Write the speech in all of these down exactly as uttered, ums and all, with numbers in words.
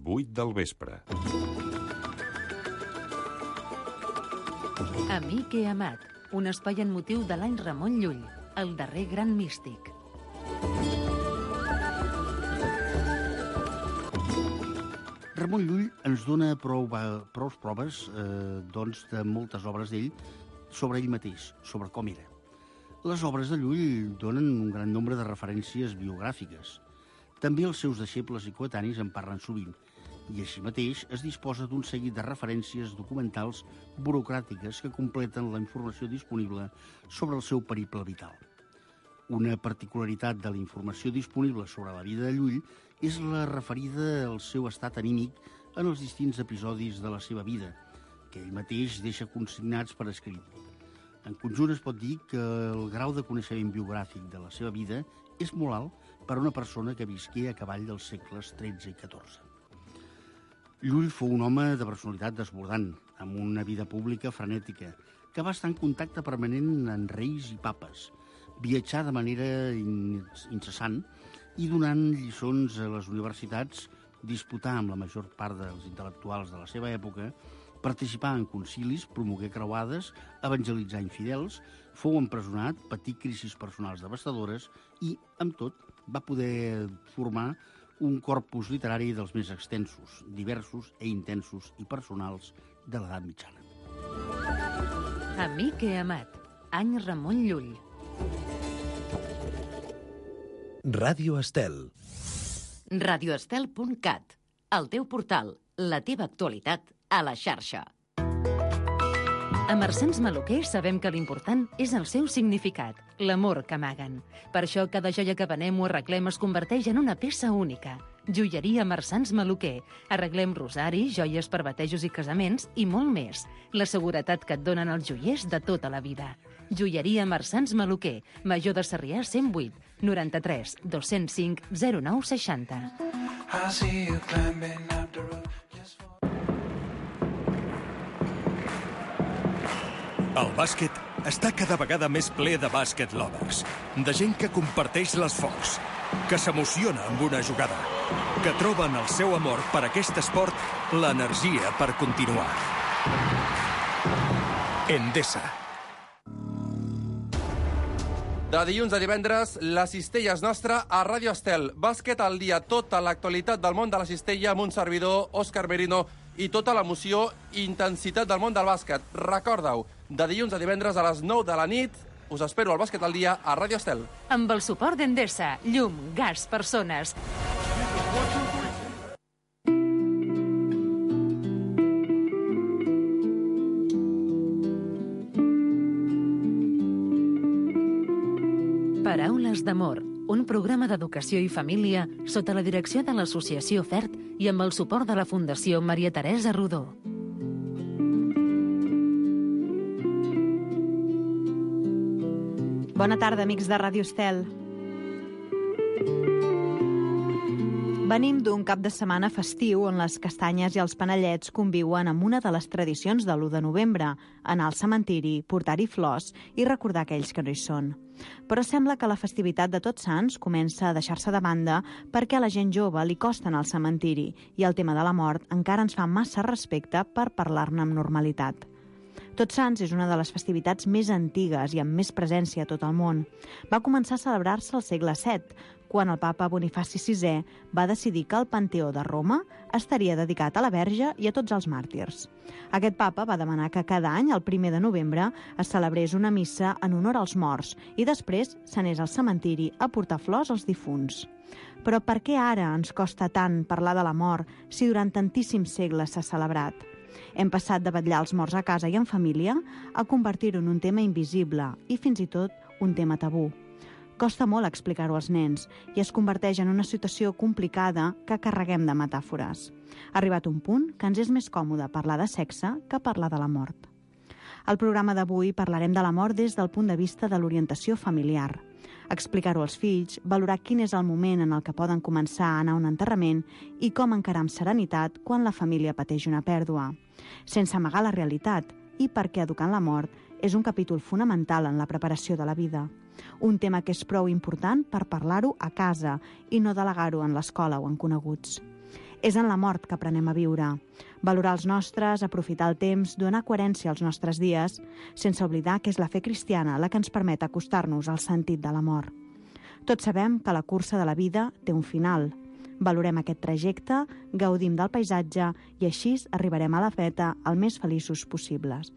vuit del vespre. Amic i amat, un espai en motiu de l'any Ramon Llull, el darrer gran místic. Ramon Llull ens dona prou, prou proves eh, doncs, de moltes obres d'ell sobre ell mateix, sobre com era. Les obres de Llull donen un gran nombre de referències biogràfiques. També els seus deixebles i coetanis en parlen sovint, i així mateix es disposa d'un seguit de referències documentals burocràtiques que completen la informació disponible sobre el seu periple vital. Una particularitat de la informació disponible sobre la vida de Llull és la referida al seu estat anímic en els distints episodis de la seva vida, que ell mateix deixa consignats per escrit. En conjunt es pot dir que el grau de coneixement biogràfic de la seva vida és molt alt per a una persona que visqué a cavall dels segles tretze i catorze. Llull fou un home de personalitat desbordant, amb una vida pública frenètica, que va estar en contacte permanent amb reis i papes, viatjar de manera incessant i donant lliçons a les universitats, disputar amb la major part dels intel·lectuals de la seva època, participar en concilis, promoguer creuades, evangelitzar infidels, fou empresonat, patir crisis personals devastadores i, amb tot, va poder formar un corpus literari dels més extensos, diversos e intensos i personals de l'edat mitjana. Amic i amat, any Ramon Llull. Ràdio Estel. radioestel punt cat, el teu portal, la teva actualitat a la xarxa. A Marsans Maluquer sabem que l'important és el seu significat, l'amor que amaguen. Per això cada joia que venem o arreglem es converteix en una peça única. Joieria Marsans Maluquer. Arreglem rosaris, joies per batejos i casaments i molt més. La seguretat que et donen els joiers de tota la vida. Joieria Marsans Maluquer, Major de Sarrià cent vuit, noranta-tres, dos-cents cinc, zero nou seixanta. El bàsquet està cada vegada més ple de bàsquet lovers, de gent que comparteix l'esforç, que s'emociona amb una jugada, que troben el seu amor per aquest esport l'energia per continuar. Endesa. De dilluns a divendres, la cistella és nostra a Ràdio Estel. Bàsquet al dia, tota l'actualitat del món de la cistella amb un servidor, Òscar Merino, i tota l'emoció i intensitat del món del bàsquet. Recorda-ho, de dilluns a divendres a les nou de la nit, us espero al Bàsquet al dia a Ràdio Estel. Amb el suport d'Endesa, llum, gas, persones. Paraules d'amor, un programa d'educació i família sota la direcció de l'Associació FERT i amb el suport de la Fundació Maria Teresa Rodó. Bona tarda, amics de Ràdio Estel. Venim d'un cap de setmana festiu on les castanyes i els panellets conviuen amb una de les tradicions de l'u de novembre, anar al cementiri, portar-hi flors i recordar aquells que no hi són. Però sembla que la festivitat de Tots Sants comença a deixar-se de banda perquè a la gent jove li costa anar al cementiri i el tema de la mort encara ens fa massa respecte per parlar-ne amb normalitat. Tots Sants és una de les festivitats més antigues i amb més presència a tot el món. Va començar a celebrar-se al segle set, quan el papa Bonifaci sisè va decidir que el Panteó de Roma estaria dedicat a la Verge i a tots els màrtirs. Aquest papa va demanar que cada any, el primer de novembre, es celebrés una missa en honor als morts i després s'anés al cementiri a portar flors als difunts. Però per què ara ens costa tant parlar de la mort si durant tantíssims segles s'ha celebrat? Hem passat de vetllar els morts a casa i en família a convertir-ho en un tema invisible i fins i tot un tema tabú. Costa molt explicar-ho als nens i es converteix en una situació complicada que carreguem de metàfores. Ha arribat un punt que ens és més còmode parlar de sexe que parlar de la mort. Al programa d'avui parlarem de la mort des del punt de vista de l'orientació familiar. Explicar-ho als fills, valorar quin és el moment en el que poden començar a anar a un enterrament i com encarar amb serenitat quan la família pateix una pèrdua. Sense amagar la realitat i perquè educant la mort és un capítol fonamental en la preparació de la vida. Un tema que és prou important per parlar-ho a casa i no delegar-ho en l'escola o en coneguts. És en la mort que aprenem a viure. Valorar els nostres, aprofitar el temps, donar coherència als nostres dies, sense oblidar que és la fe cristiana la que ens permet acostar-nos al sentit de la mort. Tots sabem que la cursa de la vida té un final. Valorem aquest trajecte, gaudim del paisatge i així arribarem a la feta el més feliços possibles.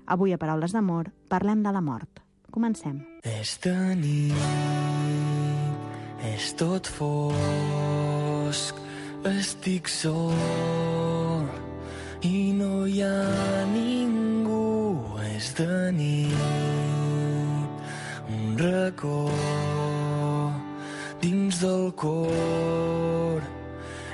Avui, a Paraules d'Amor, parlem de la mort. Comencem. És de nit, és tot fosc, estic sol i no hi ha ningú. És de nit, un racó dins del cor.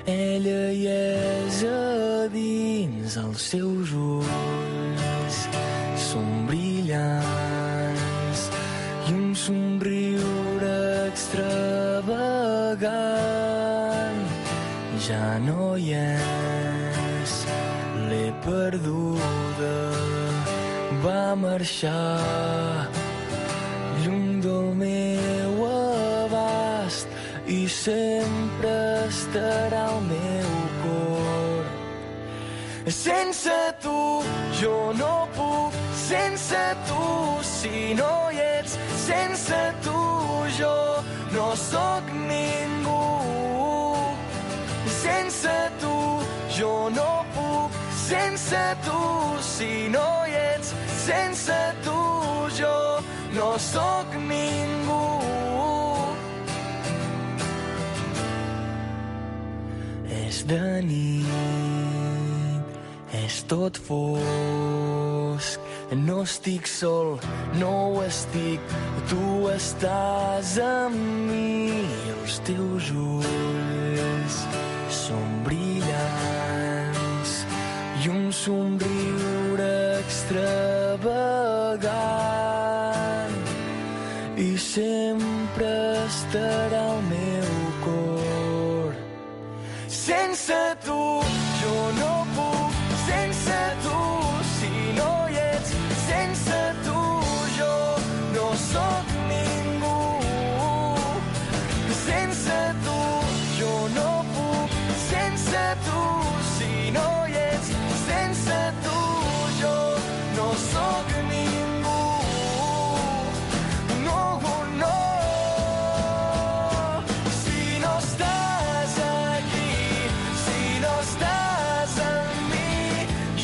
Ella hi és a dins, els seus ulls són brillants i un somriure extravagant. Ja no hi és, l'he perduda, va marxar lluny del meu abast i sempre estarà al meu cor. Sense tu jo no puc, sense tu si no hi ets, sense tu jo no sóc ningú. Sense tu jo no puc, sense tu si no hi ets, sense tu jo no sóc ningú. És de nit, és tot fosc, no estic sol, no ho estic, tu estàs amb mi. Els teus ulls són brillants i un somriure extravagant i sempre estarà al meu cor. Sense tu jo no puc, sense tu si no hi ets, sense tu jo no sóc ningú. Sense tu jo no puc, sense tu si no hi ets, sense tu jo no sóc ningú. No, no, si no estàs aquí, si no estàs amb mi,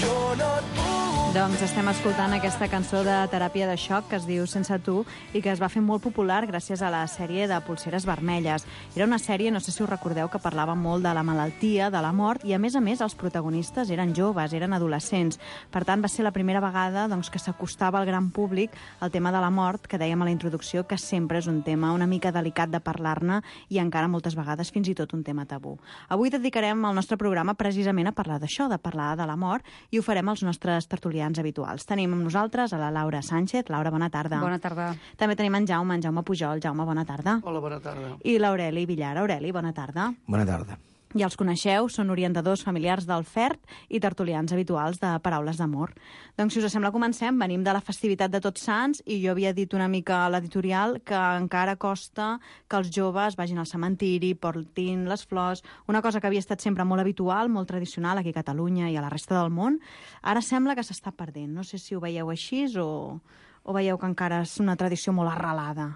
jo no et puc. Doncs estem escoltant aquesta cançó de teràpia de xoc que es diu Sense tu i que es va fer molt popular gràcies a la sèrie de Polseres vermelles. Era una sèrie, no sé si us recordeu, que parlava molt de la malaltia, de la mort, i a més a més els protagonistes eren joves, eren adolescents. Per tant, va ser la primera vegada doncs, que s'acostava al gran públic el tema de la mort, que dèiem a la introducció que sempre és un tema una mica delicat de parlar-ne i encara moltes vegades fins i tot un tema tabú. Avui dedicarem el nostre programa precisament a parlar d'això, de parlar de la mort, i ho farem als nostres tertulians habituals. Tenim amb nosaltres a la Laura Sánchez. Laura, bona tarda. Bona tarda. També tenim en Jaume, en Jaume Pujol. Jaume, bona tarda. Hola, bona tarda. I l'Aureli Villar. Aureli, bona tarda. Bona tarda. Ja els coneixeu, són orientadors familiars del F E R T i tertulians habituals de Paraules d'Amor. Doncs, si us sembla, comencem. Venim de la festivitat de Tots Sants i jo havia dit una mica a l'editorial que encara costa que els joves vagin al cementiri, portin les flors, una cosa que havia estat sempre molt habitual, molt tradicional aquí a Catalunya i a la resta del món. Ara sembla que s'està perdent. No sé si ho veieu així o, o veieu que encara és una tradició molt arrelada.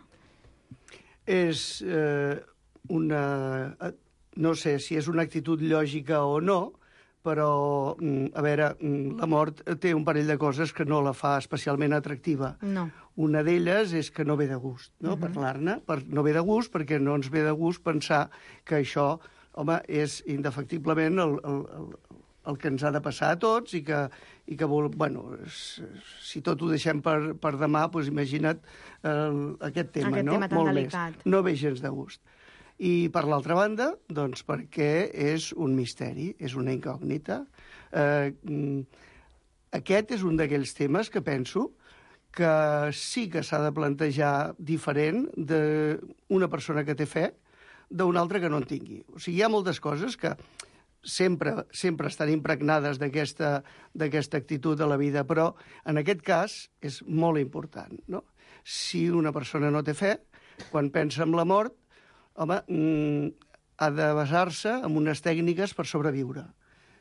És eh, una... No sé si és una actitud lògica o no, però, a veure, la mort té un parell de coses que no la fa especialment atractiva. No. Una d'elles és que no ve de gust, no?, uh-huh. parlar-ne. Per, no ve de gust perquè no ens ve de gust pensar que això, home, és indefectiblement el, el, el, el que ens ha de passar a tots i que, i que vol, bueno, si tot ho deixem per, per demà, doncs imagina't el, aquest tema, aquest no? tema tan Molt delicat. més. No ve gens de gust. I, per l'altra banda, doncs perquè és un misteri, és una incògnita. Eh, aquest és un d'aquells temes que penso que sí que s'ha de plantejar diferent d'una persona que té fe d'una altra que no en tingui. O sigui, hi ha moltes coses que sempre, sempre estan impregnades d'aquesta d'aquesta actitud de la vida, però en aquest cas és molt important, no? Si una persona no té fe, quan pensa en la mort, home, ha de basar-se en unes tècniques per sobreviure.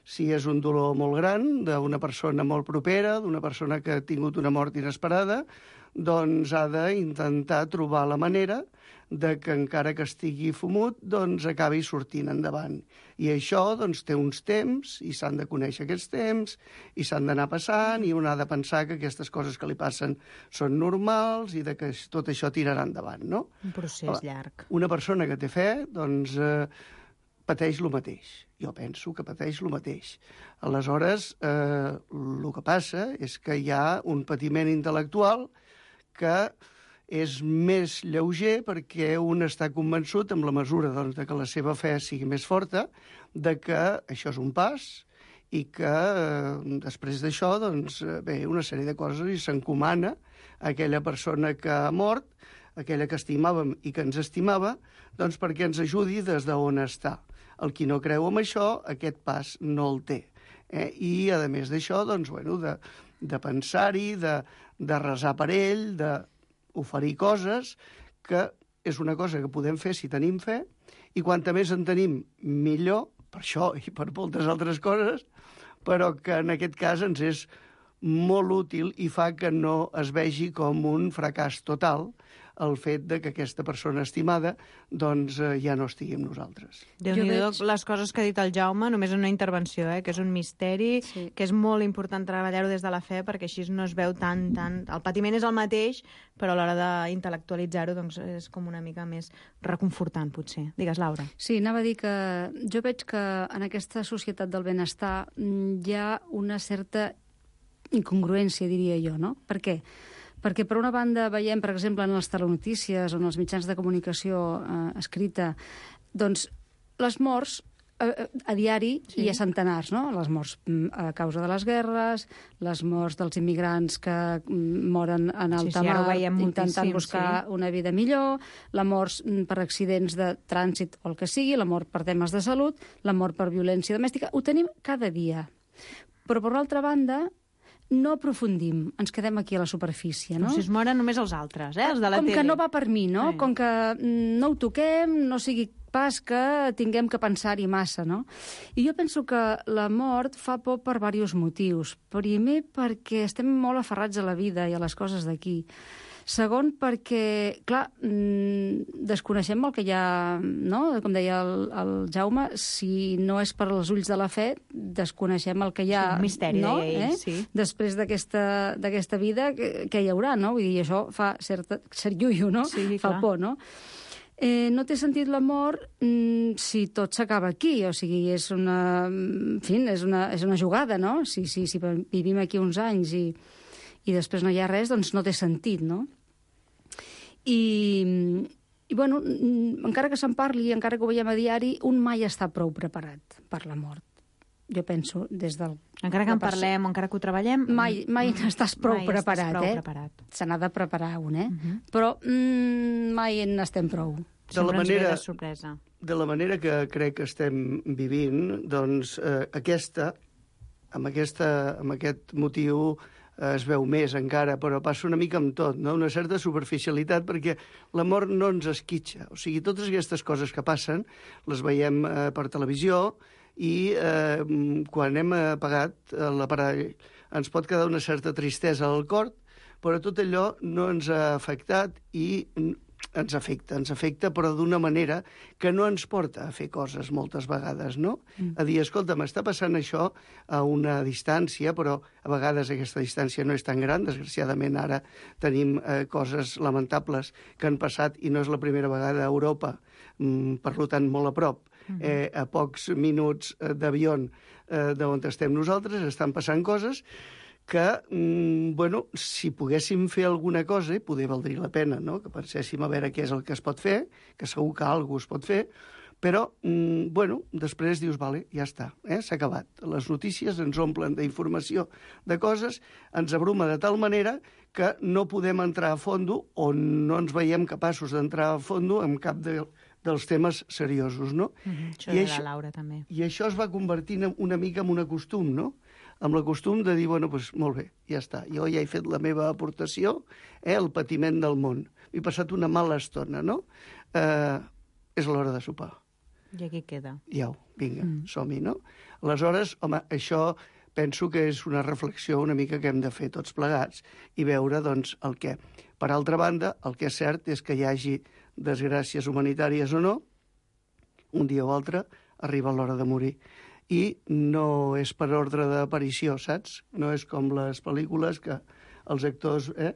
Si és un dolor molt gran, d'una persona molt propera, d'una persona que ha tingut una mort inesperada, doncs ha d'intentar trobar la manera de que encara que estigui fumut, doncs acabi sortint endavant. I això doncs, té uns temps, i s'han de conèixer aquests temps, i s'han d'anar passant, i un ha de pensar que aquestes coses que li passen són normals i de que tot això tirarà endavant, no? Un procés llarg. Una persona que té fe, doncs, eh, pateix el mateix. Jo penso que pateix el mateix. Aleshores, eh, el que passa és que hi ha un patiment intel·lectual que és més lleuger perquè un està convençut, amb la mesura doncs, de que la seva fe sigui més forta, de que això és un pas i que eh, després d'això doncs, ve una sèrie de coses i s'encomana a aquella persona que ha mort, aquella que estimàvem i que ens estimava, doncs perquè ens ajudi des d'on està. El qui no creu en això, aquest pas no el té. Eh? I, a més d'això, doncs, bueno, de, de pensar-hi, de, de resar per ell, de oferir coses, que és una cosa que podem fer si tenim fe, i quanta més en tenim, millor, per això i per moltes altres coses, però que en aquest cas ens és molt útil i fa que no es vegi com un fracàs total el fet de que aquesta persona estimada doncs, eh, ja no estigui amb nosaltres. Déu-n'hi-do veig... les coses que ha dit el Jaume, només en una intervenció, eh, que és un misteri, sí. que és molt important treballar-ho des de la fe, perquè així no es veu tant, tant... El patiment és el mateix, però a l'hora d'intel·lectualitzar-ho doncs, és com una mica més reconfortant, potser. Digues, Laura. Sí, anava a dir que jo veig que en aquesta societat del benestar hi ha una certa incongruència, diria jo, no? Per què? Perquè, per una banda, veiem, per exemple, en les telenotícies o en els mitjans de comunicació eh, escrita, doncs, les morts eh, a diari sí. hi ha centenars, no? Les morts a causa de les guerres, les morts dels immigrants que moren en alta sí, sí, mar intentant buscar sí. una vida millor, la mort per accidents de trànsit o el que sigui, la mort per temes de salut, la mort per violència domèstica. Ho tenim cada dia. Però, per l'altra banda, no aprofundim, ens quedem aquí a la superfície, no? Com si es moren només els altres, eh? Els de la Com tele. que no va per mi, no? Sí. Com que no ho toquem, no sigui pas que tinguem que pensar-hi massa, no? I jo penso que la mort fa por per diversos motius. Primer, perquè estem molt aferrats a la vida i a les coses d'aquí. Segon, perquè, clar, desconeixem el que hi ha, no? Com deia el, el Jaume, si no és per als ulls de la fe, desconeixem el que hi ha... Sí, un misteri, no? deia ell, eh? sí. Després d'aquesta vida, què hi haurà, no? Vull dir, això fa cert, cert lluio, no? Sí, fa clar. por, no? Eh, no té sentit la mort mm, si tot s'acaba aquí, o sigui, és una, en fi, és una, és una jugada, no? Si, si, si vivim aquí uns anys i, i després no hi ha res, doncs no té sentit, no? I, i bueno, encara que se'n parli, encara que ho veiem a diari, un mai està prou preparat per la mort. Jo penso, des del... Encara que en parlem, o encara que ho treballem... Mai, mai mm, estàs prou mai preparat, estàs prou eh? preparat. Se n'ha de preparar un, eh? Uh -huh. Però mm, mai n'estem prou. De la, manera, de, sorpresa. de la manera que crec que estem vivint, doncs eh, aquesta, amb, aquesta, amb aquest motiu eh, es veu més encara, però passa una mica amb tot, no? Una certa superficialitat, perquè la mort no ens esquitxa. O sigui, totes aquestes coses que passen les veiem eh, per televisió, i eh, quan hem apagat l'aparell ens pot quedar una certa tristesa al cor, però tot allò no ens ha afectat i ens afecta, ens afecta, però d'una manera que no ens porta a fer coses moltes vegades, no? Mm. A dir, escolta, m'està passant això a una distància, però a vegades aquesta distància no és tan gran, desgraciadament ara tenim eh, coses lamentables que han passat i no és la primera vegada a Europa, mm, per tant molt a prop. Eh, a pocs minuts d'avió eh, d'on estem nosaltres, estan passant coses que, mm, bueno, si poguéssim fer alguna cosa, i poder valdria la pena, no?, que penséssim a veure què és el que es pot fer, que segur que alguna cosa es pot fer, però, mm, bueno, després dius, vale, ja està, eh, s'ha acabat. Les notícies ens omplen d'informació de coses, ens abruma de tal manera que no podem entrar a fondo o no ens veiem capaços d'entrar a fondo en cap de dels temes seriosos, no? Mm-hmm. Això I de això, la Laura, també. I això es va convertint una mica en un costum, no? Amb el costum de dir, bueno, doncs molt bé, ja està, jo ja he fet la meva aportació, eh, el patiment del món. He passat una mala estona, no? Eh, és l'hora de sopar. I aquí queda. Ja, vinga, mm. som-hi, no? Aleshores, home, això penso que és una reflexió una mica que hem de fer tots plegats i veure, doncs, el què. Per altra banda, el que és cert és que hi hagi desgràcies humanitàries o no, un dia o altre arriba l'hora de morir. I no és per ordre d'aparició, saps? No és com les pel·lícules que els actors... Eh?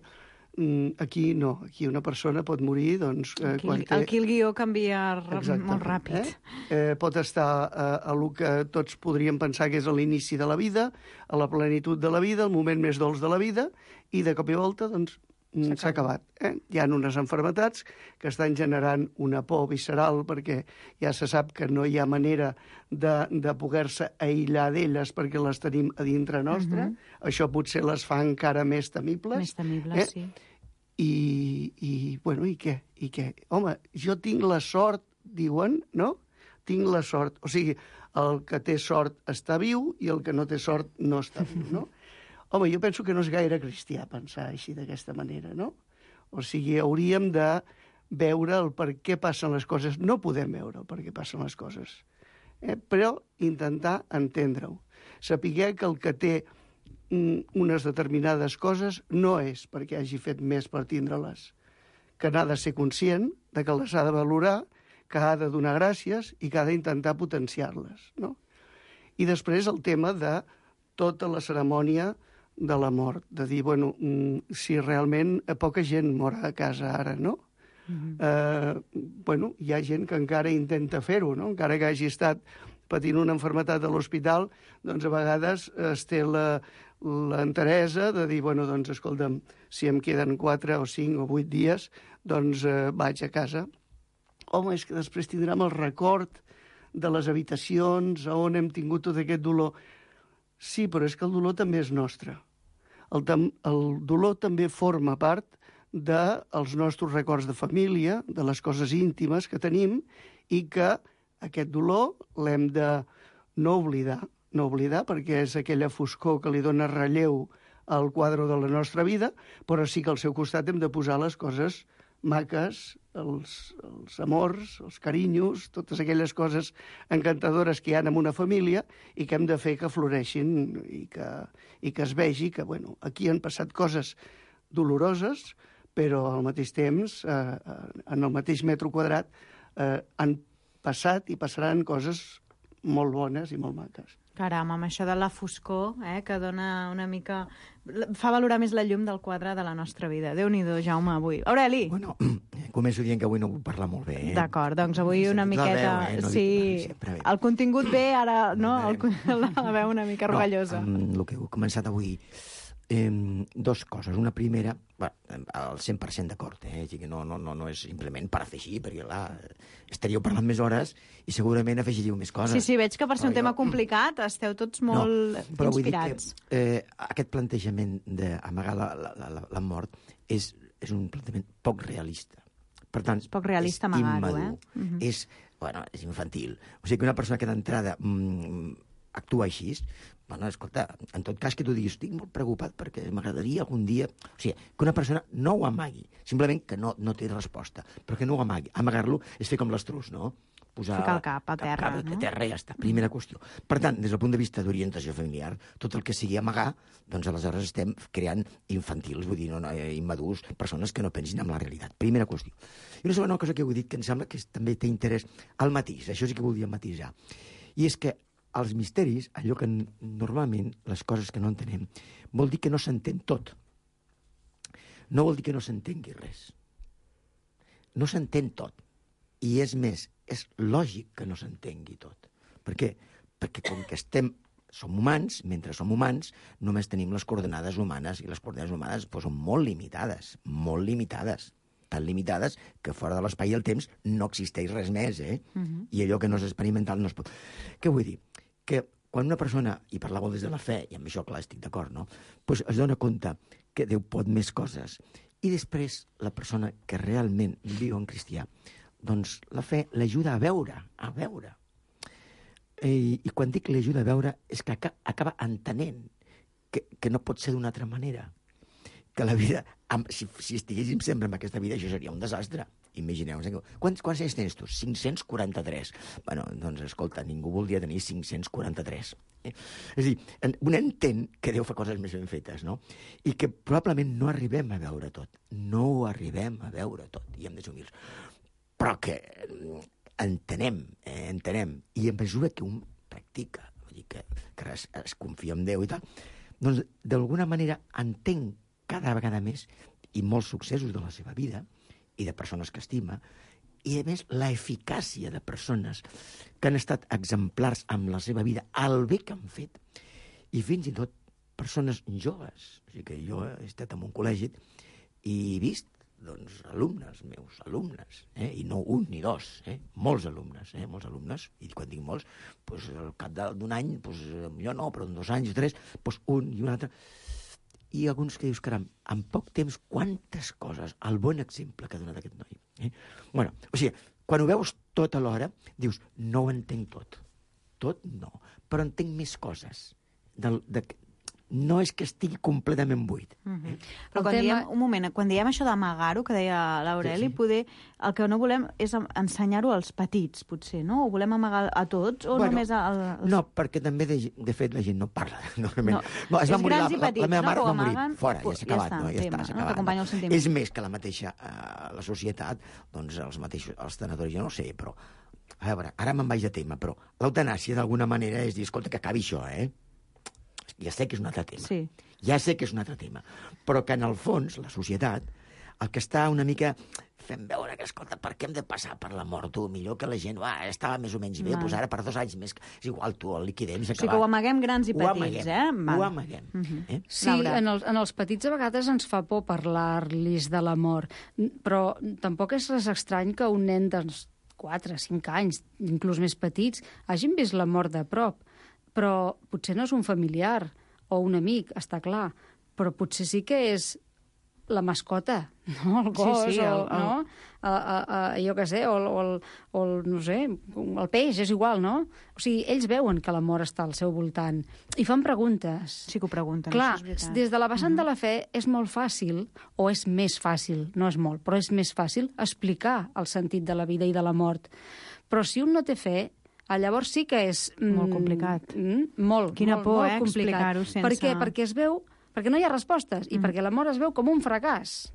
Aquí no, aquí una persona pot morir... Doncs, eh, aquí, quan té... aquí el guió canvia Exactament, molt ràpid. Eh? Eh, pot estar a, a lo que tots podríem pensar que és a l'inici de la vida, a la plenitud de la vida, el moment més dolç de la vida, i de cop i volta, doncs, s'ha acabat. Eh? Hi ha unes enfermetats que estan generant una por visceral perquè ja se sap que no hi ha manera de, de poder-se aïllar d'elles perquè les tenim a dintre nostra. Uh -huh. Això potser les fa encara més temibles. Més temibles, eh? sí. I, i, bueno, i què? I què? Home, jo tinc la sort, diuen, no? Tinc la sort. O sigui, el que té sort està viu i el que no té sort no està viu, no? Home, jo penso que no és gaire cristià pensar així d'aquesta manera, no? O sigui, hauríem de veure el per què passen les coses. No podem veure el per què passen les coses, eh? Però intentar entendre-ho. Sapiguer que el que té mm, unes determinades coses no és perquè hagi fet més per tindre-les, que n'ha de ser conscient, de que les ha de valorar, que ha de donar gràcies i que ha d'intentar potenciar-les, no? I després el tema de tota la cerimònia de la mort, de dir, bueno, si realment poca gent mor a casa ara, no? Mm-hmm. eh, bueno, hi ha gent que encara intenta fer-ho, no? Encara que hagi estat patint una malaltia a l'hospital, doncs a vegades es té la, l'enteresa de dir, bueno, doncs escolta'm, si em queden quatre o cinc o vuit dies, doncs eh, vaig a casa. Home, és que després tindrem el record de les habitacions on hem tingut tot aquest dolor. Sí, però és que el dolor també és nostre. El, el dolor també forma part dels nostres records de família, de les coses íntimes que tenim, i que aquest dolor l'hem de no oblidar, no oblidar perquè és aquella foscor que li dona relleu al quadre de la nostra vida, però sí que al seu costat hem de posar les coses maques, els, els amors, els carinyos, totes aquelles coses encantadores que hi ha en una família i que hem de fer que floreixin i que, i que es vegi que, bueno, aquí han passat coses doloroses, però al mateix temps, eh, en el mateix metro quadrat, eh, han passat i passaran coses molt bones i molt maques. Caram, amb això de la foscor, eh, que dona una mica... fa valorar més la llum del quadre de la nostra vida. Déu-n'hi-do, Jaume, avui. Aureli! Bueno, començo dient que avui no vull parlar molt bé. Eh? D'acord, doncs avui una miqueta... Veu, eh? no sí, sempre, el contingut bé, ara, no? El, la veu una mica rogallosa. No, amb el que heu començat avui... Eh, dos coses. Una primera, bueno, al cent per cent d'acord, eh? Que no, no, no, no és simplement per afegir, perquè clar, estaríeu parlant més hores i segurament afegiríeu més coses. Sí, sí, veig que per ser un jo... tema complicat esteu tots molt no, però inspirats. Vull dir que, eh, aquest plantejament d'amagar la, la, la, la mort és, és un plantejament poc realista. Per tant, és poc realista amagar-ho, eh? Uh-huh. És, bueno, és infantil. O sigui que una persona que d'entrada mm, actua així, bueno, escolta, en tot cas que tu diguis, estic molt preocupat perquè m'agradaria algun dia... O sigui, que una persona no ho amagui, simplement que no, no té resposta, però que no ho amagui. Amagar-lo és fer com l'estrus, no? Posar ficar el cap a terra, cap, cap, no? A terra i ja està, primera qüestió. Per tant, des del punt de vista d'orientació familiar, tot el que sigui amagar, doncs aleshores estem creant infantils, vull dir, no, no, immadurs, persones que no pensin en la realitat. Primera qüestió. I una segona cosa que heu dit, que em sembla que també té interès, el matís, això sí que volia matisar, i és que els misteris, allò que normalment, les coses que no entenem, vol dir que no s'entén tot. No vol dir que no s'entengui res. No s'entén tot. I és més, és lògic que no s'entengui tot. Per què? Perquè com que estem, som humans, mentre som humans, només tenim les coordenades humanes, i les coordenades humanes doncs, són molt limitades, molt limitades. Tan limitades que fora de l'espai i el temps no existeix res més, eh? Uh-huh. I allò que no és experimental no es pot... Què vull dir? Que quan una persona, i parlava des de la fe, i amb això, clar, estic d'acord, no? Pues es dona compte que Déu pot més coses. I després, la persona que realment viu en cristià, doncs la fe l'ajuda a veure, a veure. I, i quan dic l'ajuda a veure, és que acaba entenent que, que no pot ser d'una altra manera. Que la vida, si, si estiguéssim sempre en aquesta vida, això seria un desastre. Imagineu-vos. Eh? Quants, quants anys tens tu? cinc-cents quaranta-tres. Bueno, doncs, escolta, ningú voldria tenir cinc-cents quaranta-tres. Eh? És a dir, un entén que Déu fa coses més ben fetes, no? I que probablement no arribem a veure tot. No ho arribem a veure tot, i hem de ser humils. Però que entenem, eh, entenem. I a mesura que un practica, vull dir que, que es, es confia en Déu i tal, doncs d'alguna manera entenc cada vegada més i molts successos de la seva vida i de persones que estima, i a més la eficàcia de persones que han estat exemplars amb la seva vida, el bé que han fet, i fins i tot persones joves. O sigui que jo he estat en un col·legi i he vist doncs, alumnes meus, alumnes, eh? I no un ni dos, eh? molts alumnes, eh? molts alumnes, i quan dic molts, doncs, al cap d'un any, doncs, jo no, però en dos anys o tres, doncs, un i un altre. I alguns que dius, caram, en poc temps, quantes coses, el bon exemple que ha donat aquest noi. Eh? Bueno, o sigui, quan ho veus tot alhora, dius, no ho entenc tot. Tot no, però entenc més coses. Del, de, no és que estigui completament buit. Uh -huh. eh? Però quan tema... diem, un moment, quan diem això d'amagar-ho, que deia l'Aureli, sí, sí. poder, el que no volem és ensenyar-ho als petits, potser, no? O volem amagar a tots, o bueno, només als... No, perquè també, de, de fet, la gent no parla. Normalment. No, no, es va és morir, grans la, i petits, la, la meva mare no? va morir. Amaguen, Fora, ja s'ha acabat. Ja està, no? Ja tema, està, s'ha no? acabat. El sentiment. És més que la mateixa, eh, la societat, doncs els mateixos, els tanatoris, jo no ho sé, però, a veure, ara me'n vaig de tema, però l'eutanàsia d'alguna manera és dir, escolta, que acabi això, eh? Ja sé que és un altre tema. Sí. Ja sé que és un altre tema. Però que, en el fons, la societat, el que està una mica fent veure que, escolta, per què hem de passar per la mort? Tu, millor que la gent, va, estava més o menys bé, no. Doncs ara per dos anys més, és igual, tu, el liquidem, s'ha acabat. O sigui que ho amaguem grans i petits, amaguem, eh? Val. Ho amaguem. Uh -huh. eh? Sí, en els, en els petits a vegades ens fa por parlar-los de la mort, però tampoc és res estrany que un nen de quatre, cinc anys, inclús més petits, hagin vist la mort de prop. Però potser no és un familiar o un amic, està clar, però potser sí que és la mascota, no? El gos, sí, sí, o, el, el... no? A, a, a, jo què sé, o, o, el, o el, no sé, el peix, és igual, no? O sigui, ells veuen que la mort està al seu voltant i fan preguntes. Sí que ho pregunten, clar, això és veritat. Des de la vessant uh -huh. de la fe és molt fàcil, o és més fàcil, no és molt, però és més fàcil explicar el sentit de la vida i de la mort. Però si un no té fe, llavors sí que és... Molt complicat. Mm, molt, Quina molt, por, molt eh, explicar-ho sense... Per què? Perquè es veu... Perquè no hi ha respostes, i Mm. perquè la mort es veu com un fracàs.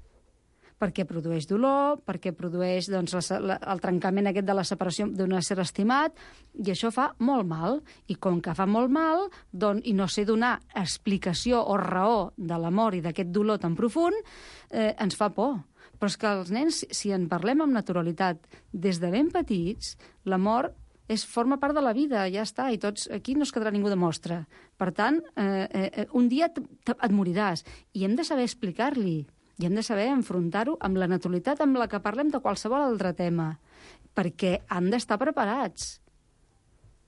Perquè produeix dolor, perquè produeix doncs, la, la, el trencament aquest de la separació d'un ésser estimat, i això fa molt mal. I com que fa molt mal, doncs, i no sé donar explicació o raó de la mort i d'aquest dolor tan profund, eh, ens fa por. Però és que els nens, si en parlem amb naturalitat des de ben petits, la mort és, forma part de la vida, ja està, i tots, aquí no es quedarà ningú de mostra. Per tant, eh, eh, un dia et, et moriràs, i hem de saber explicar-li, i hem de saber enfrontar-ho amb la naturalitat amb la que parlem de qualsevol altre tema, perquè han d'estar preparats.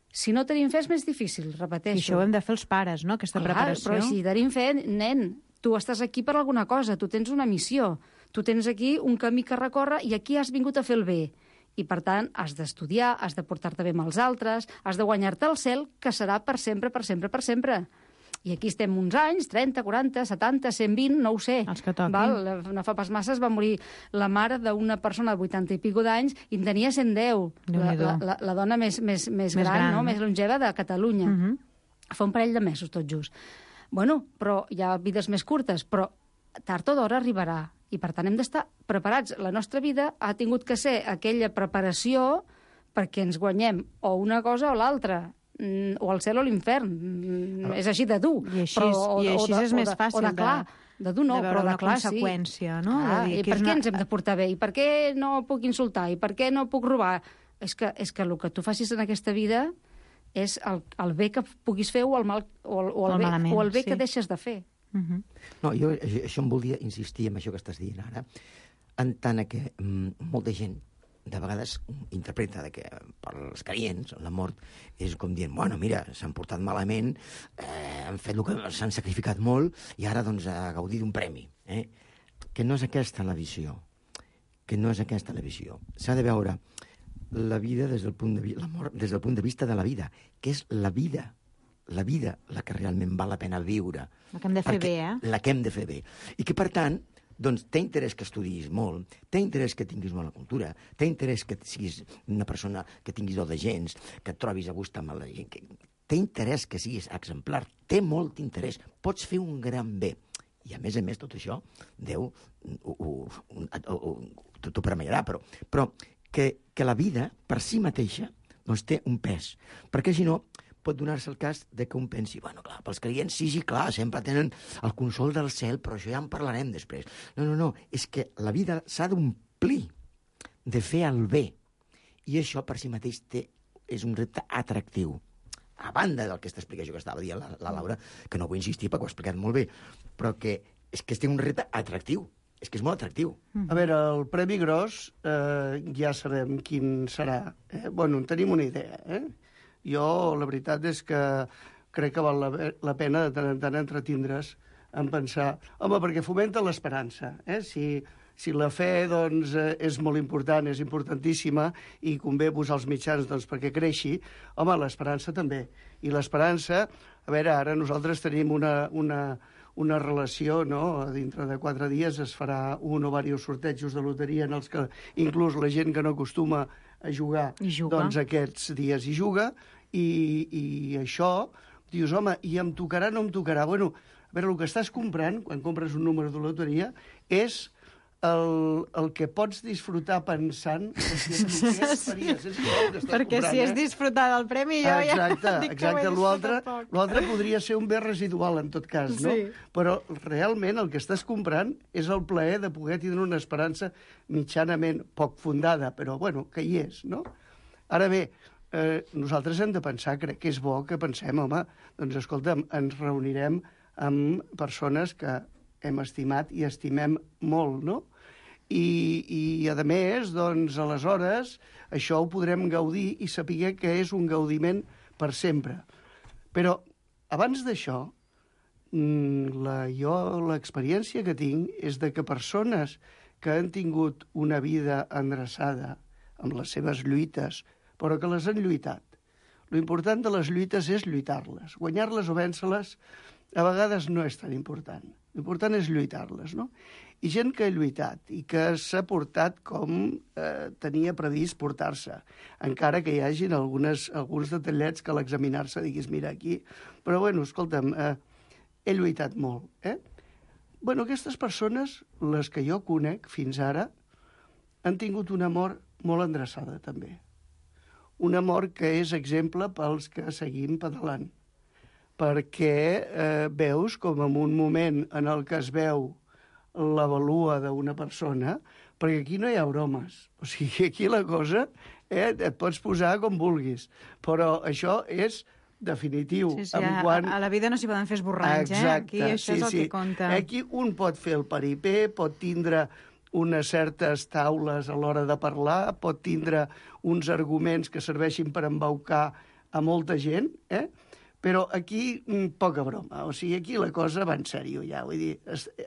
Si no tenim fe és més difícil, repeteixo. I això ho hem de fer els pares, no?, aquesta Clar, preparació. Però si tenim fe, nen, tu estàs aquí per alguna cosa, tu tens una missió, tu tens aquí un camí que recórrer i aquí has vingut a fer el bé. I, per tant, has d'estudiar, has de portar-te bé amb els altres, has de guanyar-te el cel, que serà per sempre, per sempre, per sempre. I aquí estem uns anys, trenta, quaranta, setanta, cent vint, no ho sé. Els que toquin. Val? No fa pas massa es va morir la mare d'una persona de vuitanta i pico d'anys i en tenia cent deu. La, la, la, la dona més, més, més, més gran, gran, no? Més longeva de Catalunya. Uh -huh. Fa un parell de mesos, tot just. Bueno, però hi ha vides més curtes, però tard o d'hora arribarà. I, per tant, hem d'estar preparats. La nostra vida ha tingut que ser aquella preparació perquè ens guanyem o una cosa o l'altra, o el cel o l'infern. Però... És així de dur. I així, però, o, i així o de, és més fàcil o de, clar, de, de dur no, de veure però de una clar, conseqüència, sí. no? Ah, de dir, I per què una... ens hem de portar bé? I per què no puc insultar? I per què no puc robar? És que, és que el que tu facis en aquesta vida és el, el bé que puguis fer o el, mal, o, o el, el bé, malament, o el bé sí. que deixes de fer. Uh -huh. No, jo això em volia insistir en això que estàs dient ara, en tant que mm, molta gent de vegades interpreta de que per als creients la mort és com dient, bueno, mira, s'han portat malament, eh, han fet el que s'han sacrificat molt i ara doncs a gaudir d'un premi. Eh? Que no és aquesta la visió. Que no és aquesta la visió. S'ha de veure la vida des del punt de vista, la mort des del punt de vista de la vida, que és la vida, la vida la que realment val la pena viure. La que hem de fer bé, eh? La que hem de fer bé. I que, per tant, doncs té interès que estudiïs molt, té interès que tinguis bona cultura, té interès que siguis una persona que tinguis do de gens, que et trobis a gust amb la gent, que té interès que siguis exemplar, té molt interès, pots fer un gran bé. I, a més a més, tot això, Déu t'ho premiarà, però, però que, que la vida, per si mateixa, doncs té un pes. Perquè, si no, pot donar-se el cas de que un pensi, bueno, clar, pels creients sí, sí, clar, sempre tenen el consol del cel, però això ja en parlarem després. No, no, no, és que la vida s'ha d'omplir de fer el bé. I això, per si mateix, té, és un repte atractiu. A banda del que explicació que estava dient la, la Laura, que no vull insistir perquè ho ha explicat molt bé, però que és que té un repte atractiu. És que és molt atractiu. A veure, el Premi Gros eh, ja sabem quin serà. Eh? Bueno, en tenim una idea. Eh? Jo, la veritat és que crec que val la, la pena de tant en tant entretindre's en pensar... Home, perquè fomenta l'esperança. Eh? Si... Si la fe doncs, és molt important, és importantíssima, i convé posar els mitjans doncs, perquè creixi, home, l'esperança també. I l'esperança, a veure, ara nosaltres tenim una, una, una relació, no? Dintre de quatre dies es farà un o diversos sortejos de loteria en els que inclús la gent que no acostuma a jugar, doncs aquests dies hi juga, i, i això, dius, home, i em tocarà, no em tocarà? Bueno, a veure, el que estàs comprant, quan compres un número de loteria, és... El, el que pots disfrutar pensant si què faries. És igual que perquè comprant, si és eh? disfrutar del premi, jo exacte, ja dic exacte. que ho he disfrutat poc. L'altre podria ser un bé residual, en tot cas, no? Sí. Però realment el que estàs comprant és el plaer de poder tindre una esperança mitjanament poc fundada, però, bueno, que hi és, no? Ara bé, eh, nosaltres hem de pensar, crec que és bo que pensem, home, doncs, escolta'm, ens reunirem amb persones que hem estimat i estimem molt, no? I, i a més, doncs, aleshores, això ho podrem gaudir i saber que és un gaudiment per sempre. Però, abans d'això, la, jo l'experiència que tinc és de que persones que han tingut una vida endreçada amb les seves lluites, però que les han lluitat. L'important de les lluites és lluitar-les. Guanyar-les o vèncer-les a vegades no és tan important. L'important és lluitar-les, no? I gent que ha lluitat i que s'ha portat com eh, tenia previst portar-se, encara que hi hagin algunes, alguns detallets que a l'examinar-se diguis, mira, aquí... Però, bueno, escolta'm, eh, he lluitat molt, eh? Bueno, aquestes persones, les que jo conec fins ara, han tingut una mort molt endreçada, també. Una mort que és exemple pels que seguim pedalant, perquè eh, veus com en un moment en el que es veu la valua d'una persona, perquè aquí no hi ha bromes. O sigui, aquí la cosa eh, et pots posar com vulguis, però això és definitiu. Sí, sí, en a, quan... a la vida no s'hi poden fer esborranys, exacte, eh? Aquí això sí, és el sí. que compta. Aquí un pot fer el paripé, pot tindre unes certes taules a l'hora de parlar, pot tindre uns arguments que serveixin per embaucar a molta gent, eh? Però aquí poca broma. O sigui, aquí la cosa va en sèrio ja. Vull dir,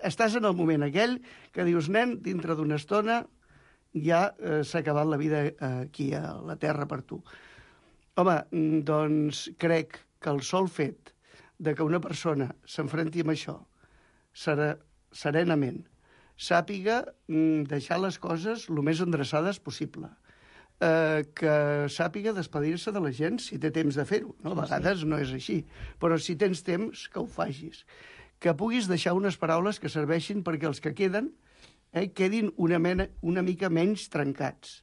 estàs en el moment aquell que dius, nen, dintre d'una estona ja eh, s'ha acabat la vida aquí a la Terra per tu. Home, doncs crec que el sol fet de que una persona s'enfrenti amb això serà, serenament, sàpiga deixar les coses el més endreçades possible, eh, que sàpiga despedir-se de la gent si té temps de fer-ho. No? A vegades no és així, però si tens temps, que ho facis. Que puguis deixar unes paraules que serveixin perquè els que queden eh, quedin una, mena, una mica menys trencats.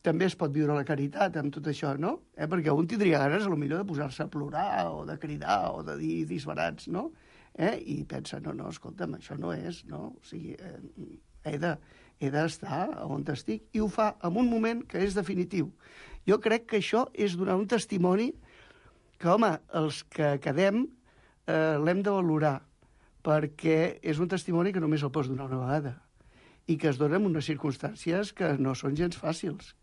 També es pot viure la caritat amb tot això, no? Eh, perquè un tindria ganes, potser de posar-se a plorar o de cridar o de dir disbarats, no? Eh? I pensa, no, no, escolta'm, això no és, no? O sigui, eh, he de, he d'estar on estic, i ho fa en un moment que és definitiu. Jo crec que això és donar un testimoni que, home, els que quedem eh, l'hem de valorar, perquè és un testimoni que només el pots donar una vegada i que es dona en unes circumstàncies que no són gens fàcils.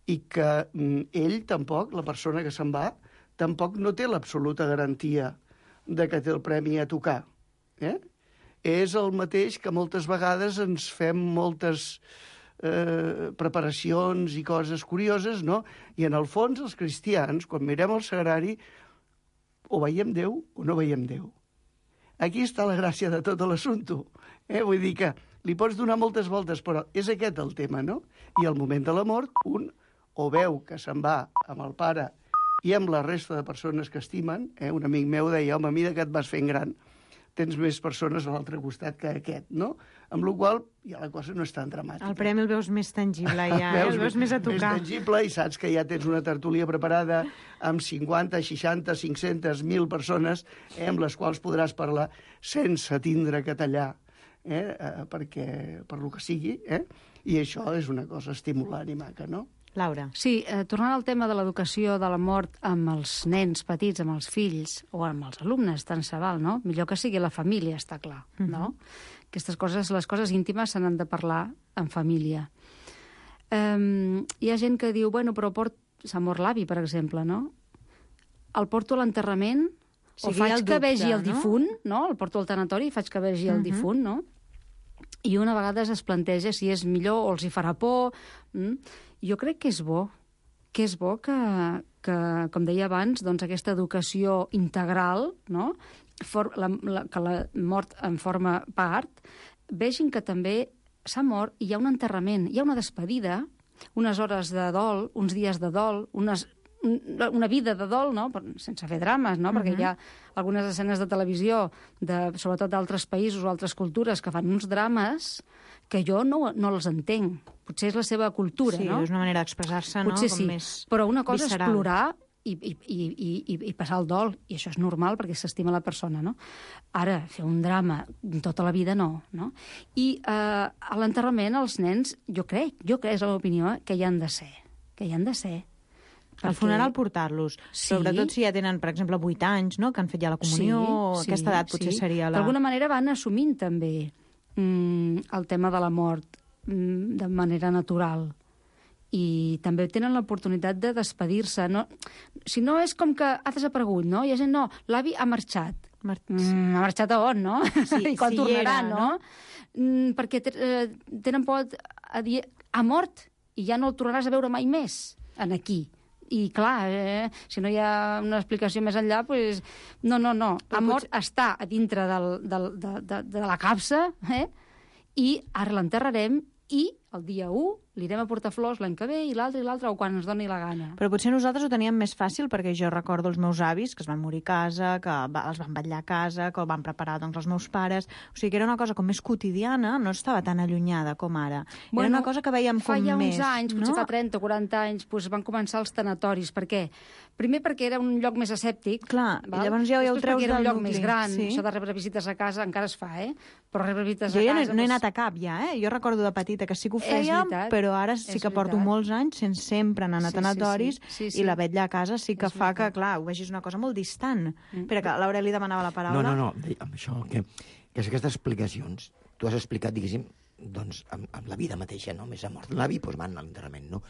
I que mm, ell tampoc, la persona que se'n va, tampoc no té l'absoluta garantia de que té el premi a tocar. Eh? És el mateix que moltes vegades ens fem moltes eh, preparacions i coses curioses, no? I en el fons, els cristians, quan mirem el sagrari, o veiem Déu o no veiem Déu. aquí està la gràcia de tot l'assumpte. Eh? Vull dir que li pots donar moltes voltes, però és aquest el tema, no? I al moment de la mort, un o veu que se'n va amb el pare i amb la resta de persones que estimen. Eh? Un amic meu deia, home, a mesura que et vas fent gran, tens més persones a l'altre costat que aquest, no? Amb la qual cosa ja la cosa no és tan dramàtica. El premi el veus més tangible, ja, eh? El veus més a tocar. Més tangible, i saps que ja tens una tertúlia preparada amb cinquanta, seixanta, cinc-centes, mil persones, eh, amb les quals podràs parlar sense tindre que tallar, eh, eh, perquè, per lo que sigui, eh? I això és una cosa estimulant i maca, no? Laura. Sí, eh, tornant al tema de l'educació de la mort amb els nens petits, amb els fills o amb els alumnes, tant se val, no? Millor que sigui la família, està clar, uh-huh. no? Aquestes coses, les coses íntimes se n'han de parlar en família. Um, hi ha gent que diu, bueno, però port... s'ha mort l'avi, per exemple, no? El porto a l'enterrament, o sigui, faig el que dubte, vegi el no? difunt, no? El porto al tanatori i faig que vegi el uh-huh. difunt, no? I una vegada es planteja si és millor o els hi farà por. Mm? Jo crec que és bo, que és bo que, que com deia abans, doncs aquesta educació integral, no? For, la, la, que la mort en forma part, vegin que també s'ha mort i hi ha un enterrament, hi ha una despedida, unes hores de dol, uns dies de dol, unes, una vida de dol, no? Sense fer drames, no? Uh-huh. Perquè hi ha algunes escenes de televisió, de, sobretot d'altres països o altres cultures, que fan uns drames que jo no, no els entenc. Potser és la seva cultura, sí, no? Sí, és una manera d'expressar-se, no? Potser com sí, més però una cosa visceral. És plorar i, i, i, i, i passar el dol, i això és normal perquè s'estima la persona, no? Ara, fer un drama tota la vida, no. no? I eh, a l'enterrament els nens, jo crec, jo crec, és la meva opinió, que hi han de ser, que hi han de ser. Al perquè... funeral portar-los, sí. Sobretot si ja tenen, per exemple, vuit anys, no? Que han fet ja la comunió, sí, o sí, aquesta edat potser sí. seria la... D'alguna manera van assumint també mm, el tema de la mort mm, de manera natural. I també tenen l'oportunitat de despedir-se. No? Si no, és com que ha desaparegut, no? Hi ha gent, no, l'avi ha marxat. Mar... Mm, ha marxat a on, no? Sí, I quan sí tornarà, era, no? no? Mm, perquè eh, tenen por a dir, ha mort, i ja no el tornaràs a veure mai més, en aquí. I, clar, eh, si no hi ha una explicació més enllà, doncs... No, no, no. Ha mort, potser... està a dintre del, del, de, de, de la capsa, eh? I ara l'enterrarem i el dia u li anirem a portar flors l'any que ve i l'altre i l'altre, o quan ens doni la gana. Però potser nosaltres ho teníem més fàcil perquè jo recordo els meus avis que es van morir a casa, que va, els van vetllar a casa, que el van preparar doncs, els meus pares. O sigui que era una cosa com més quotidiana, no estava tan allunyada com ara. Bueno, era una cosa que veiem com més... Fa ja més, uns anys, potser no? fa trenta o quaranta anys, doncs van començar els tanatoris. Per què? Primer perquè era un lloc més asèptic. Clar, val? I llavors ja ho Després treus perquè era un del lloc nucli. més gran. Sí. Això de rebre visites a casa encara es fa, eh? Però rebre visites jo a ja casa... no, no he doncs... anat a cap ja, eh? Jo recordo de petita que sí que ho fèiem, veritat, però ara sí que porto veritat. molts anys sense sempre anar a Sí, tanatoris sí, sí. Sí, sí. i la vetlla a casa sí que És fa veritat. que, clar, ho vegis una cosa molt distant. Mm. Espera, que l'Aureli demanava la paraula. No, no, no, amb això, que, que aquestes explicacions, tu has explicat, diguéssim, doncs, amb, amb la vida mateixa, no? Més a mort l'avi, doncs van a l'enterrament, no?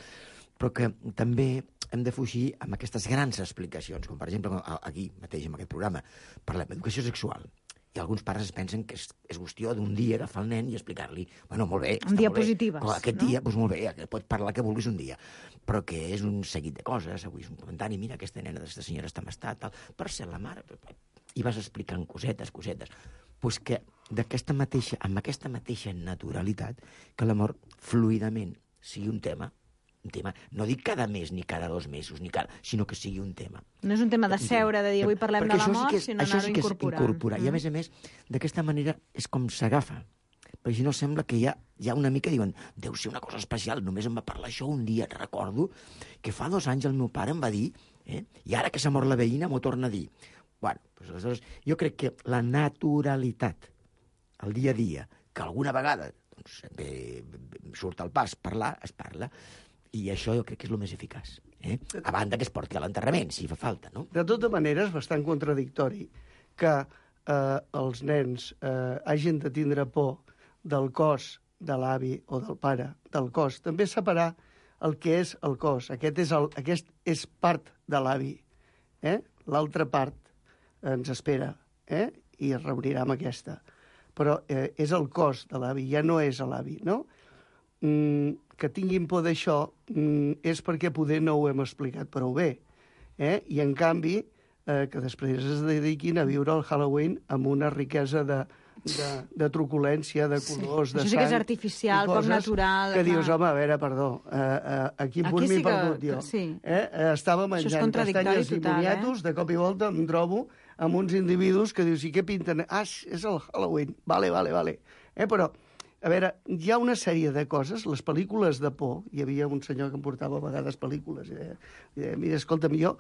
Però que també hem de fugir amb aquestes grans explicacions, com per exemple aquí mateix, en aquest programa, parlem d'educació sexual. I alguns pares es pensen que és, és qüestió d'un dia agafar el nen i explicar-li, bueno, molt bé, Un dia molt bé. positives, Com aquest no? dia, doncs molt bé, que pots parlar que vulguis un dia, però que és un seguit de coses, avui és un comentari, mira, aquesta nena d'aquesta senyora està en estat, tal, per ser la mare, i vas explicant cosetes, cosetes. Pues que d'aquesta mateixa, amb aquesta mateixa naturalitat, que l'amor fluidament sigui un tema, un tema, no dic cada mes, ni cada dos mesos, ni cada, sinó que sigui un tema. No és un tema de seure, de dir avui parlem Perquè de la això sí mort, que és, sinó això anar-ho sí que és incorporant. incorporar. Mm. I a més a més, d'aquesta manera és com s'agafa. Perquè si no sembla que hi ha, hi ha una mica, diuen, deu ser una cosa especial, només em va parlar això un dia. Recordo que fa dos anys el meu pare em va dir, eh, i ara que s'ha mort la veïna m'ho torna a dir. Bueno, doncs, aleshores, jo crec que la naturalitat, el dia a dia, que alguna vegada doncs, bé, surt al pas parlar, es parla, i això jo crec que és el més eficaç. Eh? A banda que es porti a l'enterrament, si fa falta, no? De tota manera, és bastant contradictori que eh, els nens eh, hagin de tindre por del cos de l'avi o del pare, del cos. També separar el que és el cos. Aquest és, el, aquest és part de l'avi. Eh? L'altra part ens espera, eh? I es reunirà amb aquesta. Però eh, és el cos de l'avi, ja no és l'avi, no? Mm, que tinguin por d'això mm, és perquè poder no ho hem explicat prou bé. Eh? I, en canvi, eh, que després es dediquin a viure el Halloween amb una riquesa de, de, de truculència, de colors, sí. de sang... Això sí que és artificial, poc natural. Que clar. dius, home, a veure, perdó, eh, eh, a quin punt Aquí m'he sí que- perdut jo? sí. Eh? Eh, estava menjant castanyes i total, moniatos, eh? de cop i volta em trobo amb uns individus que dius, i què pinten? Ah, és el Halloween. Vale, vale, vale. Eh, però, a veure, hi ha una sèrie de coses, les pel·lícules de por, hi havia un senyor que em portava a vegades pel·lícules, i deia, i deia mira, escolta'm, jo,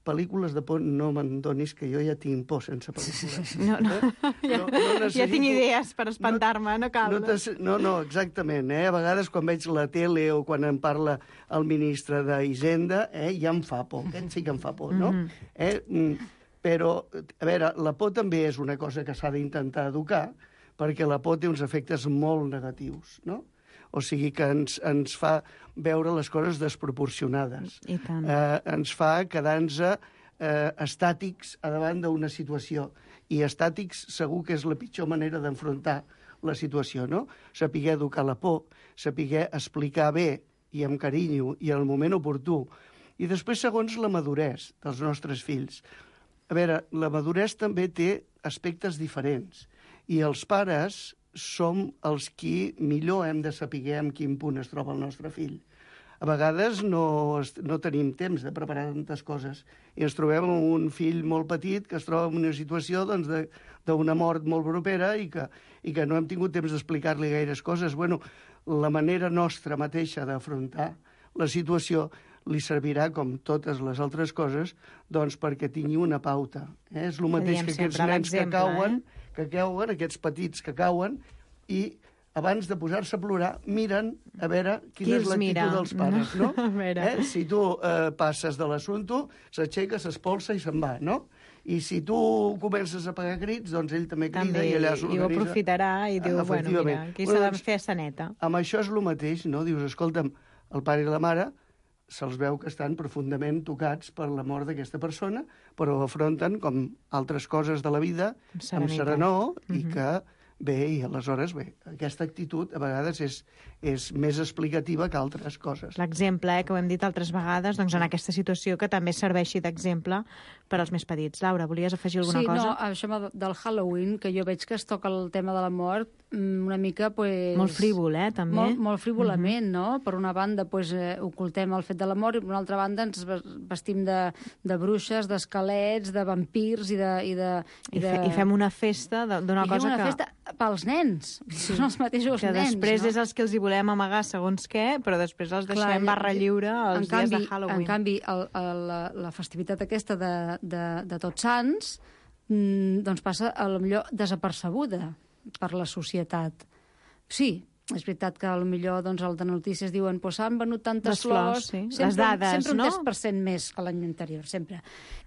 pel·lícules de por no me'n donis, que jo ja tinc por sense pel·lícules. No, no. Eh? Ja, no, no necessito... ja tinc idees per espantar-me, no, no cal. No, no, no, no, exactament. Eh? A vegades quan veig la tele o quan em parla el ministre d'Hisenda, eh, ja em fa por, aquest sí que em fa por, no? Mm-hmm. eh? Però, a veure, la por també és una cosa que s'ha d'intentar educar, perquè la por té uns efectes molt negatius, no? O sigui que ens, ens fa veure les coses desproporcionades. I tant. Eh, ens fa quedar-nos eh, estàtics a davant d'una situació. I estàtics segur que és la pitjor manera d'enfrontar la situació, no? Saber educar la por, saber explicar bé i amb carinyo i en el moment oportú. I després, segons la maduresa dels nostres fills. A veure, la maduresa també té aspectes diferents. I els pares som els qui millor hem de saber en quin punt es troba el nostre fill. A vegades no, no tenim temps de preparar tantes coses i ens trobem amb un fill molt petit que es troba en una situació doncs, d'una mort molt propera i que, i que no hem tingut temps d'explicar-li gaires coses. Bueno, la manera nostra mateixa d'afrontar la situació li servirà, com totes les altres coses, doncs perquè tingui una pauta. Eh? És el mateix que aquests nens que cauen, eh? que cauen, aquests petits que cauen, i abans de posar-se a plorar, miren a veure quina és l'actitud dels pares, no? Eh? Si tu eh, passes de l'assumpte, s'aixeca, s'espolsa i se'n va, no? I si tu comences a pegar crits, doncs ell també crida també, i allà s'organitza. I ho aprofitarà i diu, bueno, mira, aquí s'ha de fer saneta. Amb això és el mateix, no? Dius, escolta'm, el pare i la mare se'ls veu que estan profundament tocats per la mort d'aquesta persona, però ho afronten com altres coses de la vida, amb serenor, mm-hmm. i que bé, i aleshores, bé, aquesta actitud a vegades és, és més explicativa que altres coses. L'exemple, eh, que ho hem dit altres vegades, doncs en aquesta situació que també serveixi d'exemple per als més petits. Laura, volies afegir alguna sí, cosa? Sí, no, això del Halloween, que jo veig que es toca el tema de la mort una mica, pues... Molt frívol, eh, també. Molt, molt frívolament, mm-hmm. no? Per una banda, pues, eh, ocultem el fet de la mort, i per una altra banda ens vestim de, de bruixes, d'esquelets, de vampirs i de... I, de, i, de... I fem una festa d'una cosa una que... festa pels nens, sí. Són els mateixos que nens, després no? és els que els hi volem amagar segons què, però després els deixem Clar, barra lliure els dies canvi, de Halloween. En canvi, el, el, la, la festivitat aquesta de, de, de Tots Sants doncs passa, a lo millor, desapercebuda per la societat. Sí, és veritat que potser doncs, el de notícies diuen pues, s'han venut tantes les flors, flors, sí. sempre, les dades, sempre no? un tres per cent més que l'any anterior, sempre.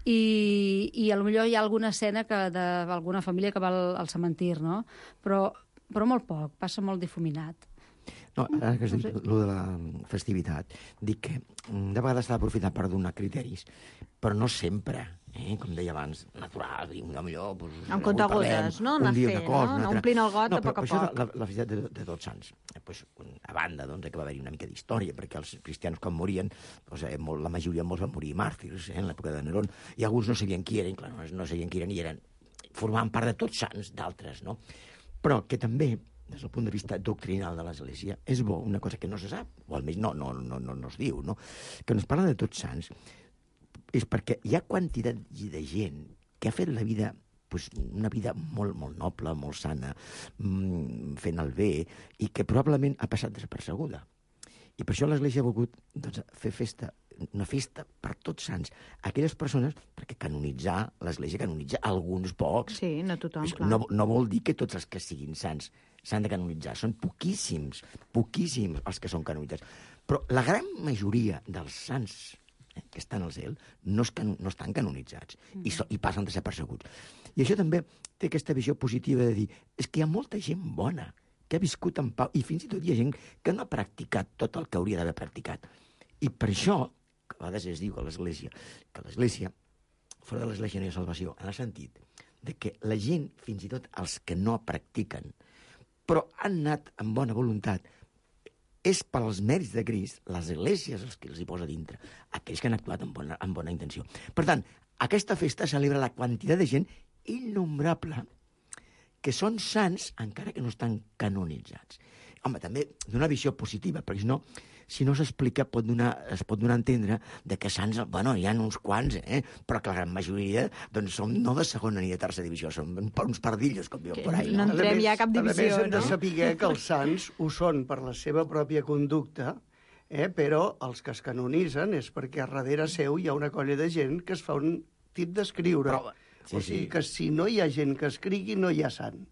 I, i potser hi ha alguna escena que d'alguna família que va al, al cementir, no? Però, però molt poc, passa molt difuminat. No, ara que has dit el de la festivitat, dic que de vegades s'ha d'aprofitar per donar criteris, però no sempre, eh? Com deia abans, natural, i millor... Pues, en comptagotes, no? Un dia fer, una cosa, no? Omplint el got no, a poc a això poc. La, la festivitat de, de Tots Sants, eh, pues, a banda doncs, que va haver-hi una mica d'història, perquè els cristians quan morien, doncs, eh, molt, la majoria molts van morir màrtirs, eh, en l'època de Nerón, i alguns no sabien qui eren, clar, no, no sabien qui eren, i eren, formaven part de Tots Sants, d'altres, no? Però que també, des del punt de vista doctrinal de l'Església, és bo, una cosa que no se sap, o almenys no, no, no, no, no es diu, no? Que ens parla de Tots Sants, és perquè hi ha quantitat de gent que ha fet la vida, pues, una vida molt, molt noble, molt sana, fent el bé, i que probablement ha passat desapercebuda. I per això l'Església ha volgut doncs, fer festa, una festa per Tots Sants. Aquelles persones, perquè canonitzar, l'Església canonitza alguns pocs. Sí, no tothom, clar. No, no vol dir que tots els que siguin sants s'han de canonitzar. Són poquíssims, poquíssims els que són canonitzats. Però la gran majoria dels sants eh, que estan al cel no, es can, no estan canonitzats mm. i, so, i passen desapercebuts. I això també té aquesta visió positiva de dir és que hi ha molta gent bona que ha viscut en pau, i fins i tot hi ha gent que no ha practicat tot el que hauria d'haver practicat. I per això, que a vegades es diu a l'Església, que l'Església, fora de l'Església no hi ha salvació, en el sentit de que la gent, fins i tot els que no practiquen, però han anat amb bona voluntat, és pels mèrits de Crist, les esglésies els que els hi posa dintre, aquells que han actuat amb bona, amb bona intenció. Per tant, aquesta festa celebra la quantitat de gent innombrable que són sants encara que no estan canonitzats. Home, també d'una visió positiva, perquè si no, si no s'explica, pot donar, es pot donar a entendre de que sants, bueno, hi ha uns quants, eh? Però que la gran majoria doncs, són no de segona ni de tercera divisió, són uns pardillos, com diuen por ahí. No entrem ja a cap divisió, no? A més, hem de no? saber que els sants ho són per la seva pròpia conducta, eh? Però els que es canonitzen és perquè a darrere seu hi ha una colla de gent que es fa un tip d'escriure. Però, sí, o sigui sí. que si no hi ha gent que escrigui, no hi ha sant.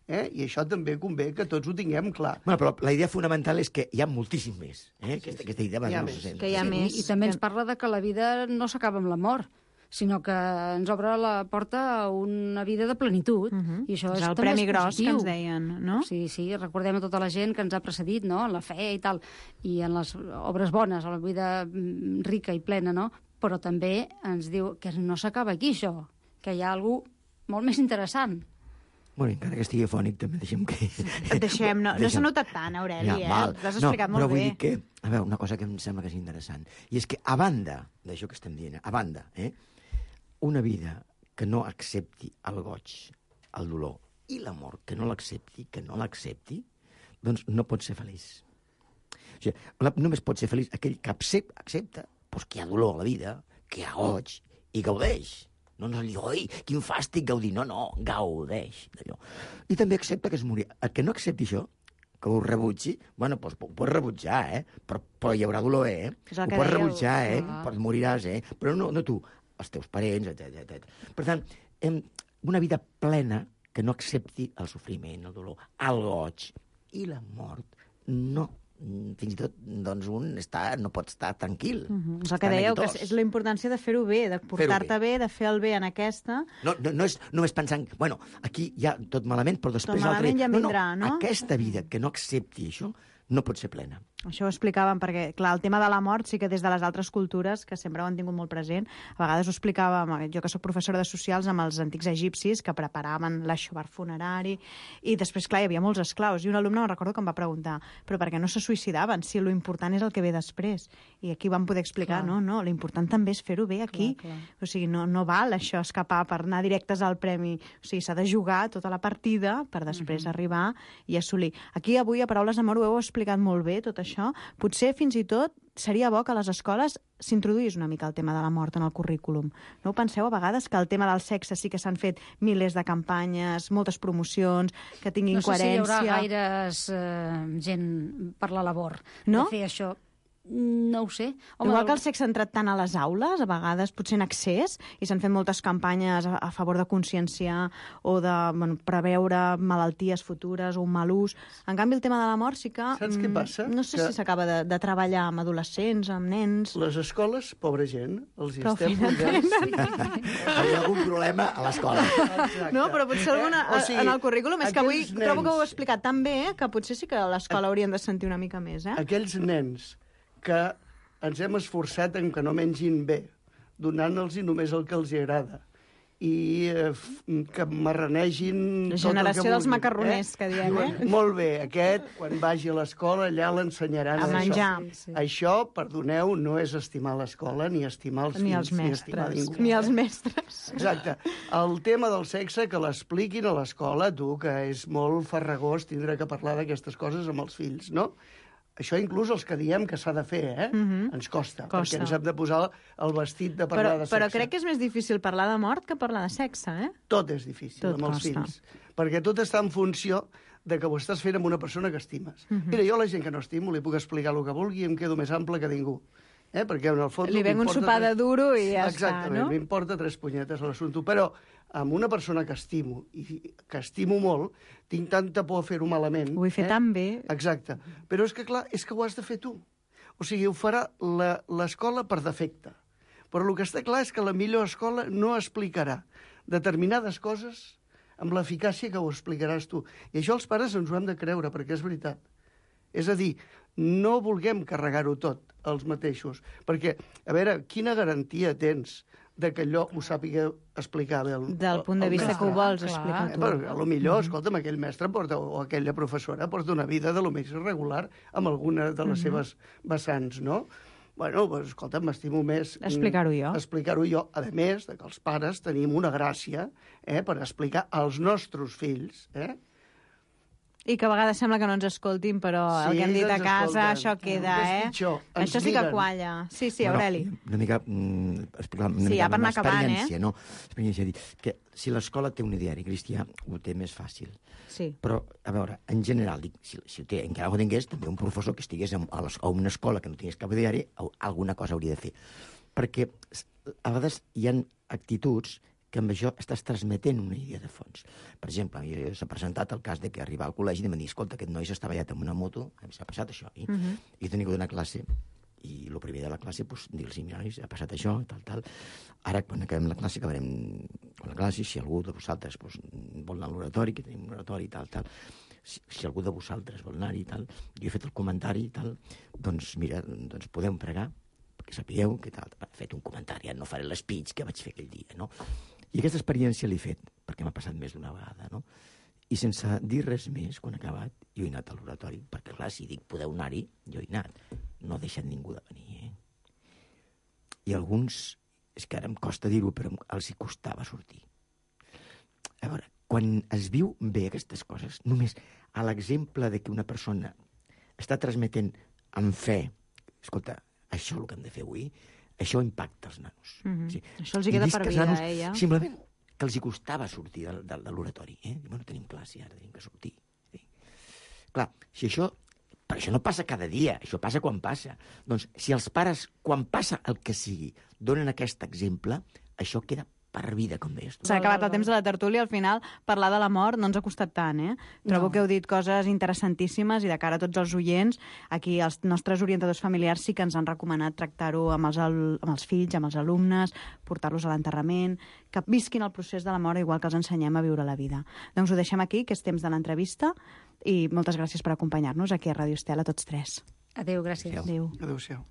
Eh? I això també convé que tots ho tinguem clar. Bueno, però la idea fonamental és que hi ha moltíssim més. Eh? Aquesta, aquesta idea Hi ha no més. se sent. Que hi ha Sí, més. I també ens parla de que la vida no s'acaba amb la mort, sinó que ens obre la porta a una vida de plenitud. Uh -huh. I això és és, el també premi és gros positiu. que ens deien, no? Sí, sí, recordem a tota la gent que ens ha precedit, no?, en la fe i tal, i en les obres bones, a la vida mm, rica i plena, no? Però també ens diu que no s'acaba aquí, això, que hi ha alguna cosa molt més interessant. Bueno, encara que estigui fònic, també deixem que... Et deixem, no, no Deixem. s'ha notat tant, Aureli, eh? val. T'has explicat no, molt però vull bé. dir que, a veure, una cosa que em sembla que és interessant, i és que a banda d'això que estem dient, a banda, eh, una vida que no accepti el goig, el dolor i l'amor, que no l'accepti, que no l'accepti, doncs no pot ser feliç. O sigui, la, només pot ser feliç aquell que accepta, accepta doncs que hi ha dolor a la vida, que hi ha goig, i gaudeix. No ens diu, oi, quin fàstic gaudir. No, no, gaudeix d'allò. I també accepta que es morirà. El que no accepti això, que ho rebutgi, bueno, doncs ho pots rebutjar, eh? Però, però hi haurà dolor, eh? És el Ho que pots dèieu. rebutjar, eh? Ah. Però moriràs, eh? Però no, no tu, els teus parents, etcètera, etcètera. Per tant, hem, una vida plena que no accepti el sofriment, el dolor, el goig i la mort, no. Fins i tot, doncs, un està, no pot estar tranquil. Uh -huh. És el que Està dèieu, que neguitós. és, és la importància de fer-ho bé, de portar-te bé, de fer el bé en aquesta. No, no, no és només pensant, bueno, aquí hi ha tot malament, però després... Tot malament l'altre- ja no, vindrà, no? Aquesta vida que no accepti això no pot ser plena. Això ho explicàvem perquè, clar, el tema de la mort sí que des de les altres cultures, que sempre ho han tingut molt present, a vegades ho explicàvem, jo que sóc professora de socials, amb els antics egipcis que preparaven l'aixovar funerari, i després, clar, hi havia molts esclaus, i un alumne, me'n recordo, que em va preguntar però per què no se suïcidaven, si lo important és el que ve després? I aquí vam poder explicar, Clar. no, no, l'important també és fer-ho bé aquí. Clar, clar. O sigui, no, no val això escapar per anar directes al premi. O sigui, s'ha de jugar tota la partida per després uh-huh. arribar i assolir. Aquí avui, a Paraules d'Amor, ho heu explicat molt bé, tot això. Potser fins i tot seria bo que a les escoles s'introduís una mica el tema de la mort en el currículum. No ho penseu a vegades que el tema del sexe sí que s'han fet milers de campanyes, moltes promocions, que tinguin No sé si hi coherència... haurà gaires eh, gent per la labor No? de fer això. No ho sé. Igual que el sexe ha entrat tant a les aules, a vegades potser en excés, i s'han fet moltes campanyes a, a favor de conscienciar o de bueno, preveure malalties futures o un mal ús. En canvi, el tema de la mort sí que... Saps què passa? No sé Que- si s'acaba de, de treballar amb adolescents, amb nens... Les escoles, pobra gent, els hi Prou estem feina posant... Hi ha algun problema a l'escola. Exacte. No, però potser alguna, Eh? O sigui, en el currículum, és que avui aquells trobo que ho heu nens- explicat tan bé que potser sí que a l'escola haurien de sentir una mica més, eh? Aquells nens que ens hem esforçat en que no mengin bé, donant-los només el que els hi agrada, i eh, f- que marranegin... La tot el generació que dels vulguin, macarroners, que diem, Diuen, eh? Molt bé, aquest, quan vagi a l'escola, allà l'ensenyaran A això. menjar. Sí, sí. Això, perdoneu, no és estimar l'escola, ni estimar els Ni fills, els ni estimar mestres. ningú. Ni els mestres. Exacte. El tema del sexe, que l'expliquin a l'escola, tu, que és molt farragós tindre que parlar d'aquestes coses amb els fills, no? Això inclús els que diem que s'ha de fer, eh? Mhm. Ens costa, Costa. perquè ens hem de posar el vestit de Però, parlar de sexe. però crec que és més difícil parlar de mort que parlar de sexe, eh? Tot és difícil Tot amb els costa. fills, perquè tot està en funció de que ho estàs fent amb una persona que estimes. Mhm. Mira, jo a la gent que no estimo li puc explicar el que vulgui i em quedo més ample que ningú. Eh? Perquè en el fons... Li venc un m'importa sopar de tres- duro i ja està, Exactament, no? m'importa tres punyetes a l'assumpte. Però amb una persona que estimo, i que estimo molt, tinc tanta por a fer-ho malament... Ho vull fer eh? tan bé. Exacte. Però és que, clar, és que ho has de fer tu. O sigui, ho farà la- l'escola per defecte. Però el que està clar és que la millor escola no explicarà determinades coses amb l'eficàcia que ho explicaràs tu. I això els pares ens ho hem de creure, perquè és veritat. És a dir, no vulguem carregar-ho tot els mateixos. Perquè, a veure, quina garantia tens de que allò ho sàpiga explicar bé el Del punt de el vista mestre? que ho vols Clar. explicar Eh, tu. però, a lo millor, escolta'm, aquell mestre porta, o aquella professora porta una vida de lo més irregular amb alguna de les seves vessants, no? Bueno, doncs, escolta, m'estimo més... Explicar-ho jo. Explicar-ho jo, a més de que els pares tenim una gràcia eh, per explicar als nostres fills, eh? I que a vegades sembla que no ens escoltin, però sí, el que hem dit a casa, això queda, eh? Pitjor, això sí que qualla. Sí, sí, Aureli. Bueno, una mica... Mm, explicar, una sí, mica ja per anar acabant, eh? No? Experiència, dir que si l'escola té un ideari cristià, ho té més fàcil. Sí. Però, a veure, en general, dic, si, si ho té, encara ho tingués, també un professor que estigués a, a, les, a una escola que no tingués cap ideari, alguna cosa hauria de fer. Perquè a vegades hi ha actituds que amb això estàs transmetent una idea de fons. Per exemple, s'ha presentat el cas de que arribar al col·legi i em dir, escolta, aquest noi s'està ballat amb una moto, s'ha passat això, i, uh -huh. i tenia que donar classe, i el primer de la classe, doncs, dir-los, mira, ha passat això, tal, tal. Ara, quan acabem la classe, acabarem la classe, si algú de vosaltres doncs, vol anar a l'oratori, que tenim un oratori, tal, tal, si, si algú de vosaltres vol anar-hi, tal, jo he fet el comentari i tal, doncs, mira, doncs podem pregar, perquè sapigueu que tal, he fet un comentari, no faré l'espeech que vaig fer aquell dia, no? I aquesta experiència l'he fet, perquè m'ha passat més d'una vegada, no? I sense dir res més, quan he acabat, jo he anat a l'oratori, perquè, clar, si dic podeu anar-hi, jo he anat. No he deixat ningú de venir, eh? I alguns, és que ara em costa dir-ho, però els hi costava sortir. A veure, quan es viu bé aquestes coses, només a l'exemple de que una persona està transmetent amb fe, escolta, això és el que hem de fer avui, això impacta els nanos. Mm-hmm. Sí. Això els hi queda per vida, nanos, eh, ja? Simplement que els hi costava sortir de, de, de l'oratori. Eh? Bueno, tenim classe, ara tenim que sortir. Sí. Clar, si això... Però això no passa cada dia, això passa quan passa. Doncs si els pares, quan passa el que sigui, donen aquest exemple, això queda per vida, com deies tu. S'ha acabat el temps de la tertúlia, al final parlar de la mort no ens ha costat tant, eh? Trobo no. que heu dit coses interessantíssimes i de cara a tots els oients, aquí els nostres orientadors familiars sí que ens han recomanat tractar-ho amb, els, amb els fills, amb els alumnes, portar-los a l'enterrament, que visquin el procés de la mort igual que els ensenyem a viure la vida. Doncs ho deixem aquí, que és temps de l'entrevista, i moltes gràcies per acompanyar-nos aquí a Ràdio Estel, a tots tres. Adéu, gràcies. Adéu. Adéu-siau.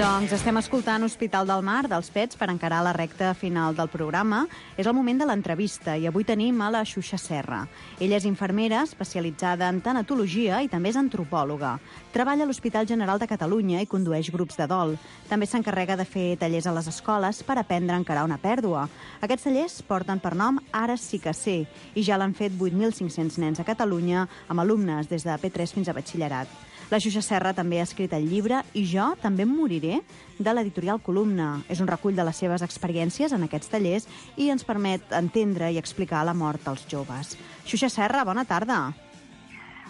Doncs estem escoltant Hospital del Mar, dels Pets, per encarar la recta final del programa. És el moment de l'entrevista i avui tenim a la Xuxa Serra. Ella és infermera, especialitzada en tanatologia i també és antropòloga. Treballa a l'Hospital General de Catalunya i condueix grups de dol. També s'encarrega de fer tallers a les escoles per aprendre a encarar una pèrdua. Aquests tallers porten per nom Ara sí que sé i ja l'han fet vuit mil cinc-cents nens a Catalunya amb alumnes des de P tres fins a batxillerat. La Xuxa Serra també ha escrit el llibre I jo també em moriré Soler, de l'editorial Columna. És un recull de les seves experiències en aquests tallers i ens permet entendre i explicar la mort dels joves. Xuxa Serra, bona tarda.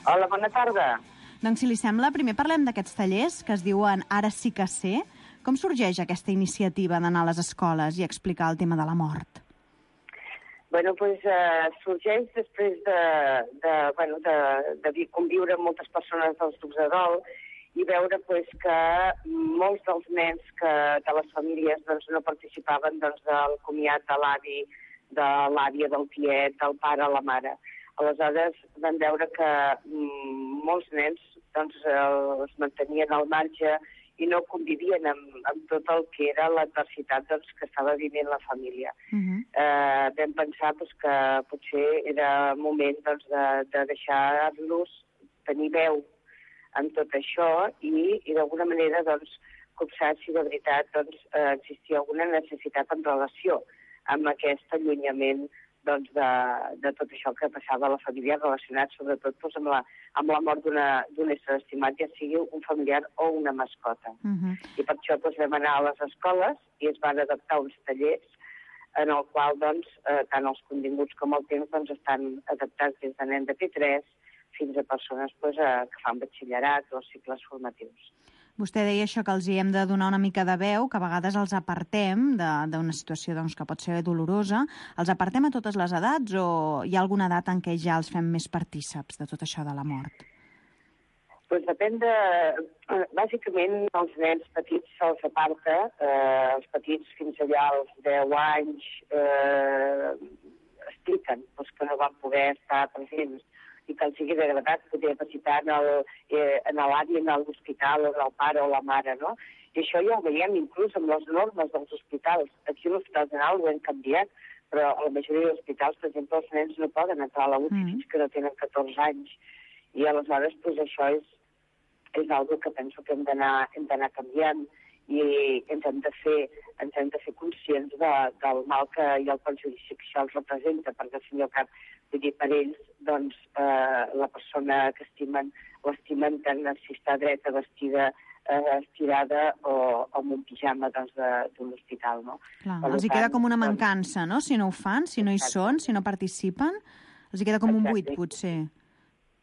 Hola, bona tarda. Doncs, si li sembla, primer parlem d'aquests tallers que es diuen Ara sí que sé. Com sorgeix aquesta iniciativa d'anar a les escoles i explicar el tema de la mort? Bueno, doncs eh, sorgeix després de, de, bueno, de, de conviure amb moltes persones dels grups de dol i veure pues, que molts dels nens que, de les famílies doncs, no participaven doncs, del comiat de l'avi, de l'àvia, del tiet, del pare, la mare. Aleshores vam veure que mm, molts nens doncs, els mantenien al marge i no convivien amb, amb tot el que era l'adversitat doncs, que estava vivint la família. Uh-huh. eh, vam pensar doncs, que potser era moment doncs, de, de deixar-los tenir veu en tot això i, i d'alguna manera doncs, copsar si de veritat doncs, eh, existia alguna necessitat en relació amb aquest allunyament doncs, de, de tot això que passava a la família relacionat sobretot doncs, amb, la, amb la mort d'un ésser estimat, ja sigui un familiar o una mascota. Uh-huh. I per això doncs, vam anar a les escoles i es van adaptar uns tallers en el qual doncs, eh, tant els continguts com el temps doncs, estan adaptats des de nen de P tres fins a persones doncs, eh, que fan batxillerat o cicles formatius. Vostè deia això, que els hi hem de donar una mica de veu, que a vegades els apartem d'una situació doncs, que pot ser dolorosa. Els apartem a totes les edats o hi ha alguna edat en què ja els fem més partíceps de tot això de la mort? Doncs depèn de... Bàsicament, els nens petits se'ls aparta, eh, els petits fins allà als deu anys eh, expliquen doncs, que no van poder estar presents i que els sigui degradat poder visitar en l'avi, en l'hospital, o el pare o la mare, no? I això ja ho veiem inclús amb les normes dels hospitals. Aquí a l'Hospital General ho hem canviat, però a la majoria d'hospitals, per exemple, els nens no poden entrar a la U C I mm. fins que no tenen catorze anys. I aleshores, doncs, això és, és una que penso que hem d'anar hem d'anar canviant i ens hem de fer, ens hem de fer conscients de, del mal que i el perjudici que això els representa, perquè al fin i al cap, vull dir, per ells, doncs, eh, la persona que estimen, l'estimen tant si està dreta, vestida, eh, estirada o, o amb un pijama doncs, d'un hospital, no? Clar, els hi queda com una mancança, no?, si no ho fan, si no hi són, si no participen, els hi queda com un buit, potser.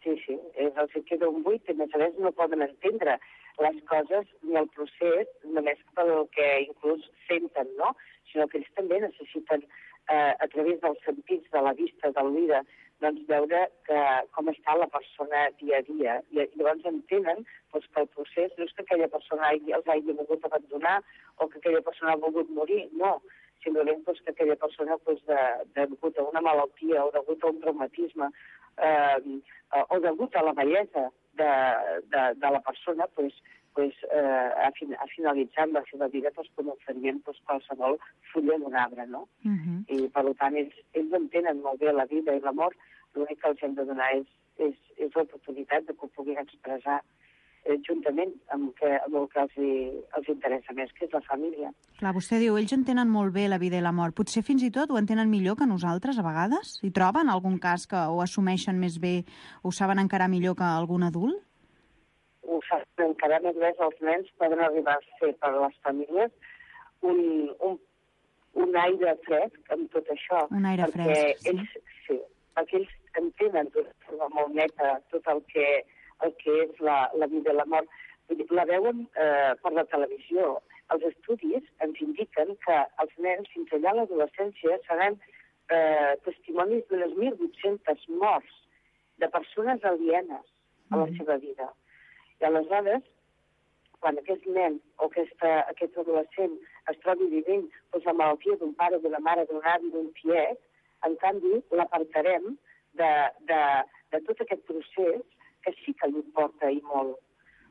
Sí, sí, els hi queda un buit, i a més a més no poden entendre les coses ni el procés només pel que inclús senten, no? Sinó que ells també necessiten, eh, a través dels sentits, de la vista, de l'oïda, doncs veure que, com està la persona dia a dia. I llavors entenen doncs, que el procés no és que aquella persona hagi, els hagi volgut abandonar o que aquella persona ha volgut morir, no. Simplement doncs, que aquella persona, doncs, de, de, degut a una malaltia o degut a un traumatisme eh, o degut a la bellesa de, de, de la persona, doncs, pues, eh, ha, fin, ha finalitzat la seva vida pues, com ho farien pues, qualsevol fulla d'un arbre, no? Uh-huh. I, per tant, ells, ells entenen molt bé la vida i la mort, l'únic que els hem de donar és, és, és l'oportunitat de que ho puguin expressar eh, juntament amb, que, amb el que els, hi, els interessa més, que és la família. Clar, vostè diu, ells entenen molt bé la vida i la mort. Potser fins i tot ho entenen millor que nosaltres, a vegades? Hi troben algun cas que ho assumeixen més bé, ho saben encarar millor que algun adult? Ho saben encara més bé, els nens poden arribar a ser per les famílies un, un, un aire fresc amb tot això. Un aire fresc, sí. Ells, sí, perquè ells entenen d'una forma molt neta tot el que, el que és la, la vida i la mort. La veuen eh, per la televisió. Els estudis ens indiquen que els nens, fins allà a l'adolescència, seran eh, testimonis d'unes mil vuit-centes morts de persones alienes a la mm. seva vida. I aleshores, quan aquest nen o aquesta, aquest adolescent es trobi vivint doncs, la malaltia d'un pare, d'una mare, d'un avi, d'un tiet, en canvi l'apartarem de, de, de tot aquest procés que sí que li importa i molt.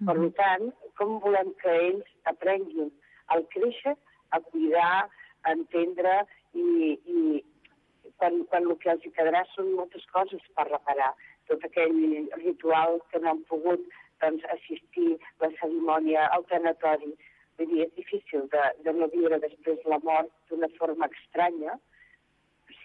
Mm-hmm. Per tant, com volem que ells aprenguin a créixer, a cuidar, a entendre i, i quan, quan el que els quedarà són moltes coses per reparar. Tot aquell ritual que no han pogut doncs, assistir, la cerimònia, el tanatori. Vull dir, és difícil de, de no viure després la mort d'una forma estranya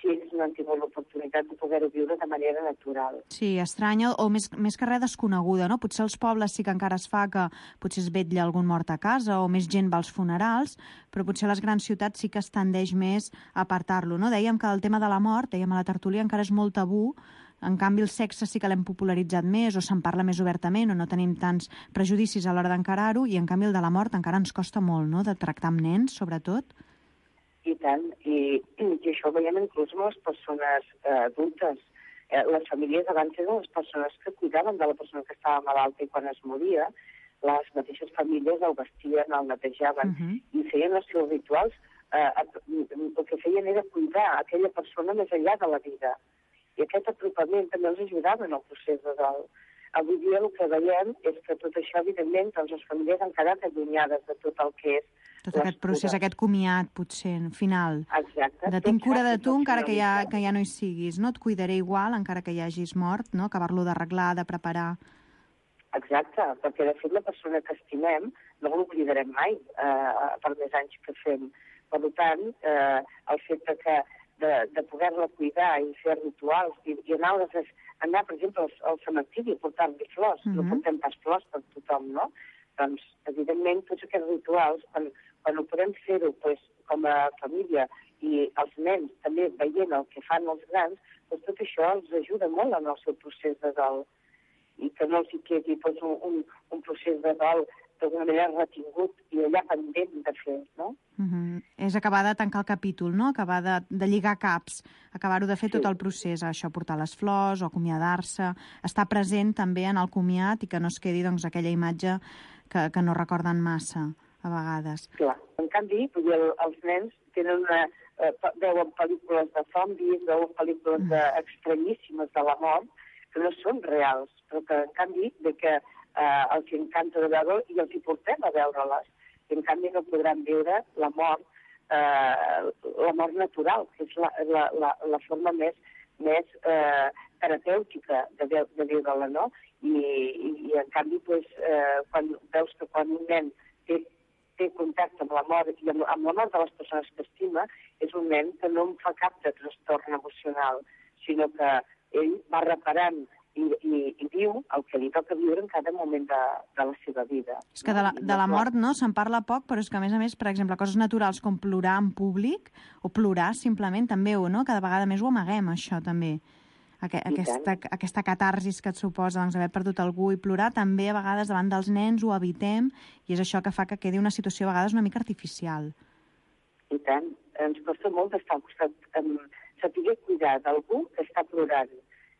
fills no han tingut l'oportunitat de poder-ho viure de manera natural. Sí, estranya, o més, més que res desconeguda, no? Potser als pobles sí que encara es fa que potser es vetlla algun mort a casa o més gent va als funerals, però potser a les grans ciutats sí que es tendeix més a apartar-lo, no? Dèiem que el tema de la mort, dèiem a la tertúlia, encara és molt tabú. En canvi, el sexe sí que l'hem popularitzat més, o se'n parla més obertament, o no tenim tants prejudicis a l'hora d'encarar-ho, i en canvi el de la mort encara ens costa molt, no?, de tractar amb nens, sobretot. I tant, i, i això ho veiem inclús amb les persones eh, adultes. Eh, les famílies abans eren les persones que cuidaven de la persona que estava malalta i quan es moria, les mateixes famílies el vestien, el netejaven, uh-huh. i feien els seus rituals. Eh, el que feien era cuidar aquella persona més enllà de la vida. I aquest apropament també els ajudava en el procés de dol. Avui dia el que veiem és que tot això, evidentment, doncs les famílies han quedat allunyades de tot el que és tot aquest procés, cures. Aquest comiat, potser, final. Exacte. De tinc cura de tu encara que ja, que ja no hi siguis, no? Et cuidaré igual encara que ja hagis mort, no? Acabar-lo d'arreglar, de preparar. Exacte, perquè de fet la persona que estimem no l'oblidarem mai eh, per més anys que fem. Per tant, eh, el fet que de, de poder-la cuidar i fer rituals i, i anar, les, anar, per exemple, al, al cementiri i portar-li flors, uh-huh. no portem pas flors per tothom, no? Doncs, evidentment, tots aquests rituals, quan, quan ho podem fer-ho pues, com a família i els nens també veient el que fan els grans, doncs tot això els ajuda molt en el seu procés de dol i que no els hi quedi pues, un, un, un procés de dol d'alguna manera retingut i allà pendent de fer, no? Uh-huh. És acabar de tancar el capítol, no? Acabar de, de lligar caps, acabar-ho de fer sí. tot el procés, això, portar les flors o acomiadar-se, estar present també en el comiat i que no es quedi doncs, aquella imatge que, que no recorden massa, a vegades. Clar. En canvi, el, els nens tenen una, eh, veuen pel·lícules de zombis, veuen pel·lícules de, estranyíssimes de la mort, que no són reals, però que, en canvi, de que eh, els encanta de veure i els hi portem a veure-les. I, en canvi, no podran viure la mort, eh, la mort natural, que és la, la, la, la forma més, més eh, terapèutica de, de viure-la, no? I, i, i en canvi, pues, eh, quan veus que quan un nen té, té contacte amb la mort i amb, amb la mort de les persones que estima, és un nen que no en fa cap de trastorn emocional, sinó que ell va reparant i, i, i viu el que li toca viure en cada moment de, de la seva vida. És que de la, de la mort no se'n parla poc, però és que, a més a més, per exemple, coses naturals com plorar en públic o plorar simplement també, o no? Cada vegada més ho amaguem, això, també. Aquesta, aquesta catarsis que et suposa doncs, haver perdut algú i plorar, també a vegades davant dels nens ho evitem i és això que fa que quedi una situació a vegades una mica artificial. I tant. Ens costa molt d'estar al costat, um, saber cuidar d'algú que està plorant.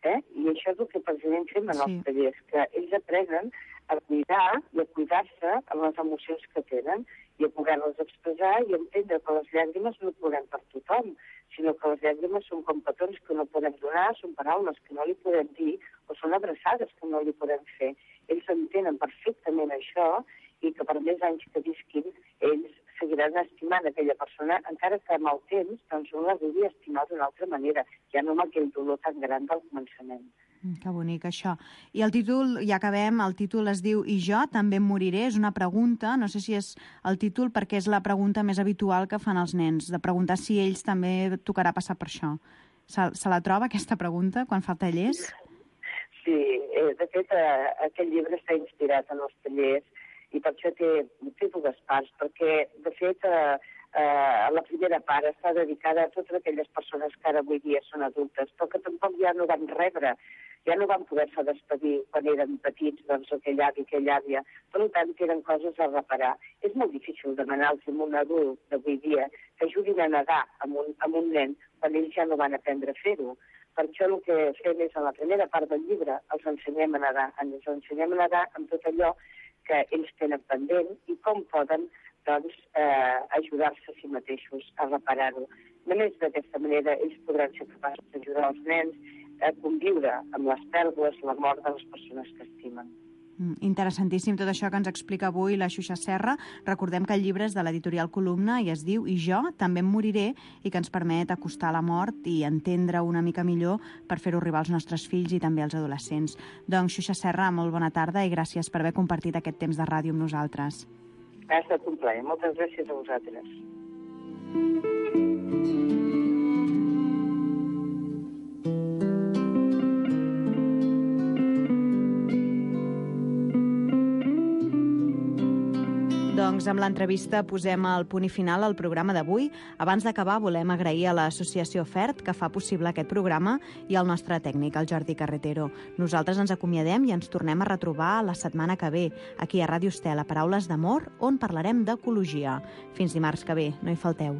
Eh? I això és el que precisament fem en els tallers, que ells aprenen a cuidar i a cuidar-se amb les emocions que tenen i a poder-les expressar i entendre que les llàgrimes no podem per tothom, sinó que les llàgrimes són com petons que no podem donar, són paraules que no li podem dir o són abraçades que no li podem fer. Ells entenen perfectament això i que per més anys que visquin, ells seguiran estimant aquella persona, encara que amb el temps doncs, un la vulgui estimar d'una altra manera, ja no amb aquell dolor tan gran del començament. Mm, que bonic, això. I el títol, ja acabem, el títol es diu I jo també em moriré, és una pregunta, no sé si és el títol perquè és la pregunta més habitual que fan els nens, de preguntar si ells també tocarà passar per això. Se, se la troba, aquesta pregunta, quan fa tallers? Sí, eh, de fet, eh, aquest llibre està inspirat en els tallers i per això té, té dues parts, perquè, de fet, eh, eh, la primera part està dedicada a totes aquelles persones que ara avui dia són adultes, però que tampoc ja no van rebre, ja no van poder-se despedir quan eren petits, doncs, aquell avi, aquella àvia. Per tant, tenen coses a reparar. És molt difícil demanar-los a un adult d'avui dia que ajudin a nedar amb un, amb un nen quan ells ja no van aprendre a fer-ho. Per això el que fem és, a la primera part del llibre, els ensenyem a nedar. Ens ensenyem a nedar amb tot allò que ells tenen pendent i com poden doncs, eh, ajudar-se a si mateixos a reparar-ho. Només d'aquesta manera ells podran ser capaços d'ajudar els nens a conviure amb les pèrdues, la mort de les persones que estimen. Mm, interessantíssim tot això que ens explica avui la Xuxa Serra. Recordem que el llibre és de l'editorial Columna i es diu I jo també em moriré i que ens permet acostar la mort i entendre una mica millor per fer-ho arribar als nostres fills i també als adolescents. Doncs, Xuxa Serra, molt bona tarda i gràcies per haver compartit aquest temps de ràdio amb nosaltres. Ha estat un plaer. Moltes gràcies a vosaltres. doncs amb l'entrevista posem el punt i final al programa d'avui. Abans d'acabar volem agrair a l'associació FERT que fa possible aquest programa i al nostre tècnic, el Jordi Carretero. Nosaltres ens acomiadem i ens tornem a retrobar la setmana que ve, aquí a Ràdio Estel, a Paraules d'Amor, on parlarem d'ecologia. Fins dimarts que ve, no hi falteu.